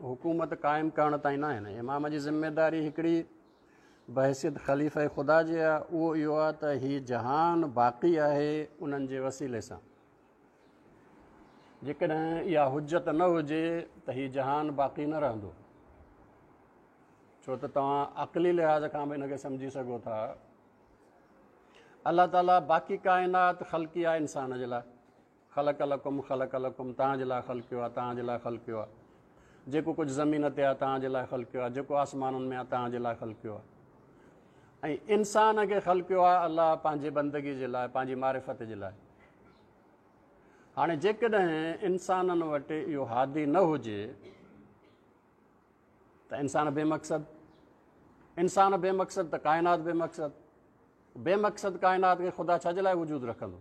حڪومت قائم ڪرڻ تائين نه آهن. امام جي ذميداري هڪڙي بحيثيت خليفه خدا جي آهي، اهو اهو آهي ته هي جهان باقي آهي انهن جي وسيلي سان. جيڪڏهن اها حجت نه هجي ته هي جهان باقي نه رهندو، ڇو ته توهان عقلي لحاظ کان به ان کي سمجهي سگهو ٿا. الله تعاليٰ باقي ڪائنات خلقي آهي انسان جي لاء، خلق لڪم خلق لڪم، توهان جي لاء خلقيو آهي، توهان جي لاء خلقيو آهي، جيڪو ڪجهه زمين تي آهي توهان جي لاء خلقيو آهي، جيڪو آسمانن ۾ آهي توهان جي لاء خلقيو آهي، ۽ انسان کي خلقيو آهي الله پنهنجي بندگي جي لاء، پنهنجي معرفت جي لاء. هاڻي جيڪڏهن انسانن وٽ اهو هادي نه هجي ته انسان بي مقصد، انسان بي مقصد ته ڪائنات بي مقصد، بي مقصد ڪائنات کي خدا ڇا جي لاء وجود رکندو؟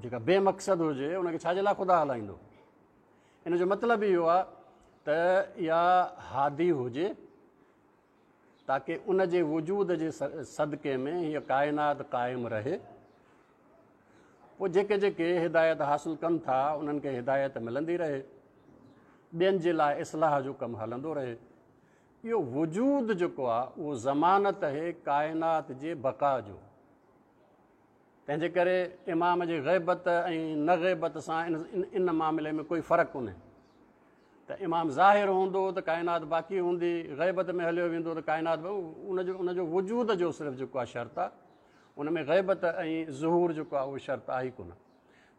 جيڪا بي مقصد هجي ان کي ڇا جي لاء خدا هلائيندو؟ ان جو مطلب اهو آهي ته اها هادي هجي تاڪه ان جي وجود جي صدقي ۾ هيء ڪائنات قائم رهي. پوء جيڪي جيڪي هدايت حاصل ڪن ٿا انهن کي هدايت ملندي رهي، ٻين جي لاء اصلاح جو ڪم هلندو رهي. اهو وجود جيڪو آهي اهو ضمانت آهي ڪائنات جي بقا جو. تنهن جي ڪري امام جي غيبت ۽ نه غيبت سان ان معاملي ۾ ڪوئي فرق ڪونهي ته امام ظاهر هوندو ته ڪائنات باقي هوندي، غيبت ۾ هليو ويندو ته ڪائنات ان جو وجود جو صرف جيڪو آهي شرط آهي، ان ۾ غيبت ۽ ظهور جيڪو آهي اهو شرط آهي ئي ڪونه.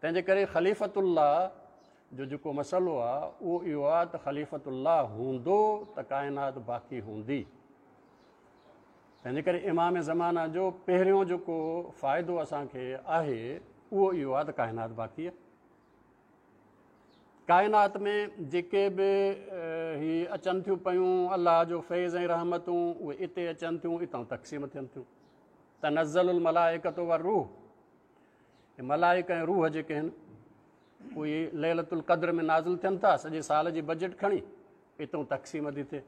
تنهن جي ڪري خليفت الله جو جيڪو مسئلو آهي اهو اهو آهي ته خليفت الله هوندو ته ڪائنات باقي هوندي. تنهن جي ڪري امام زمانه جو پهريون جيڪو فائدو اسان کي آهي اهو اهو آهي ته ڪائنات باقي آهي. ڪائنات ۾ جيڪي به هي اچن ٿيون پيون الله جو فيض ۽ رحمتون اهي اتي اچن ٿيون، اتان تقسيم ٿين ٿيون. تنزل الملائڪة والروح، ملائڪ ۽ روح جيڪي آهن اهي ليلة القدر ۾ نازل ٿين ٿا، سڄي سال جي بجيٽ کڻي اتان تقسيم ٿي ٿئي.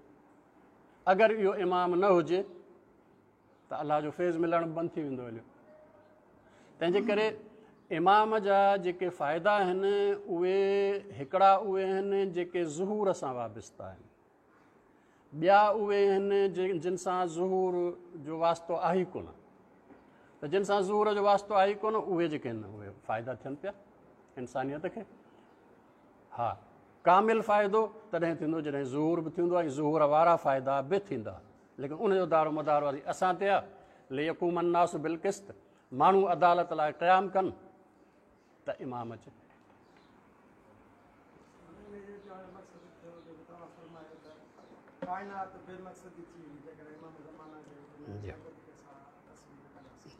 اگر اهو امام نه هجي ته الله جو فيض ملڻ بند ٿي ويندو هليو. تنهن جي ڪري امام جا جيڪي فائدا آهن اهي هڪڙا اهي آهن جيڪي ظهور سان وابسته آهن، ٻيا اهي آهن جن سان ظهور جو واسطو آهي ئي ڪونه. ته جن سان ظهور جو واسطو آهي ئي ڪونه اهي جيڪي آهن اهي فائدا ٿين پيا انسانيت کي. ها ڪامل فائدو تڏهن ٿيندو جڏهن ظهور به ٿيندو ۽ ظهور وارا فائدا به ٿيندا، ليڪن ان جو دارو مدار وري اسان تي آهي. ليقوم الناس بالقسط، ماڻهو عدالت لاء قيام ڪن ته امام اچي.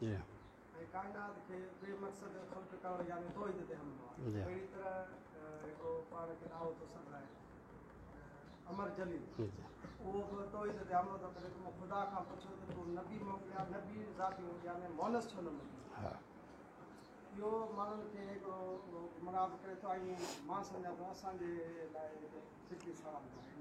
جي ۽ ڪائنات کي بي مقصد خلق ڪرڻ يعني توحيد تي حملو آهي. اهڙي طرح هڪڙو پاڻ کي ڏاهو ٿو سڏرائي امر جليل، اهو به توحيد تي حملو ٿو ڪري ته مون خدا کان پڇيو ته تون نبي موڪليا، نبي ذاتيون يعني مونس ڇو نه موڪليا؟ اهو ماڻهن کي هڪڙو گمراهه به ڪري ٿو ۽ مان سمجهان ٿو اسان جي لاء هڪ فڪري سوال به آهي.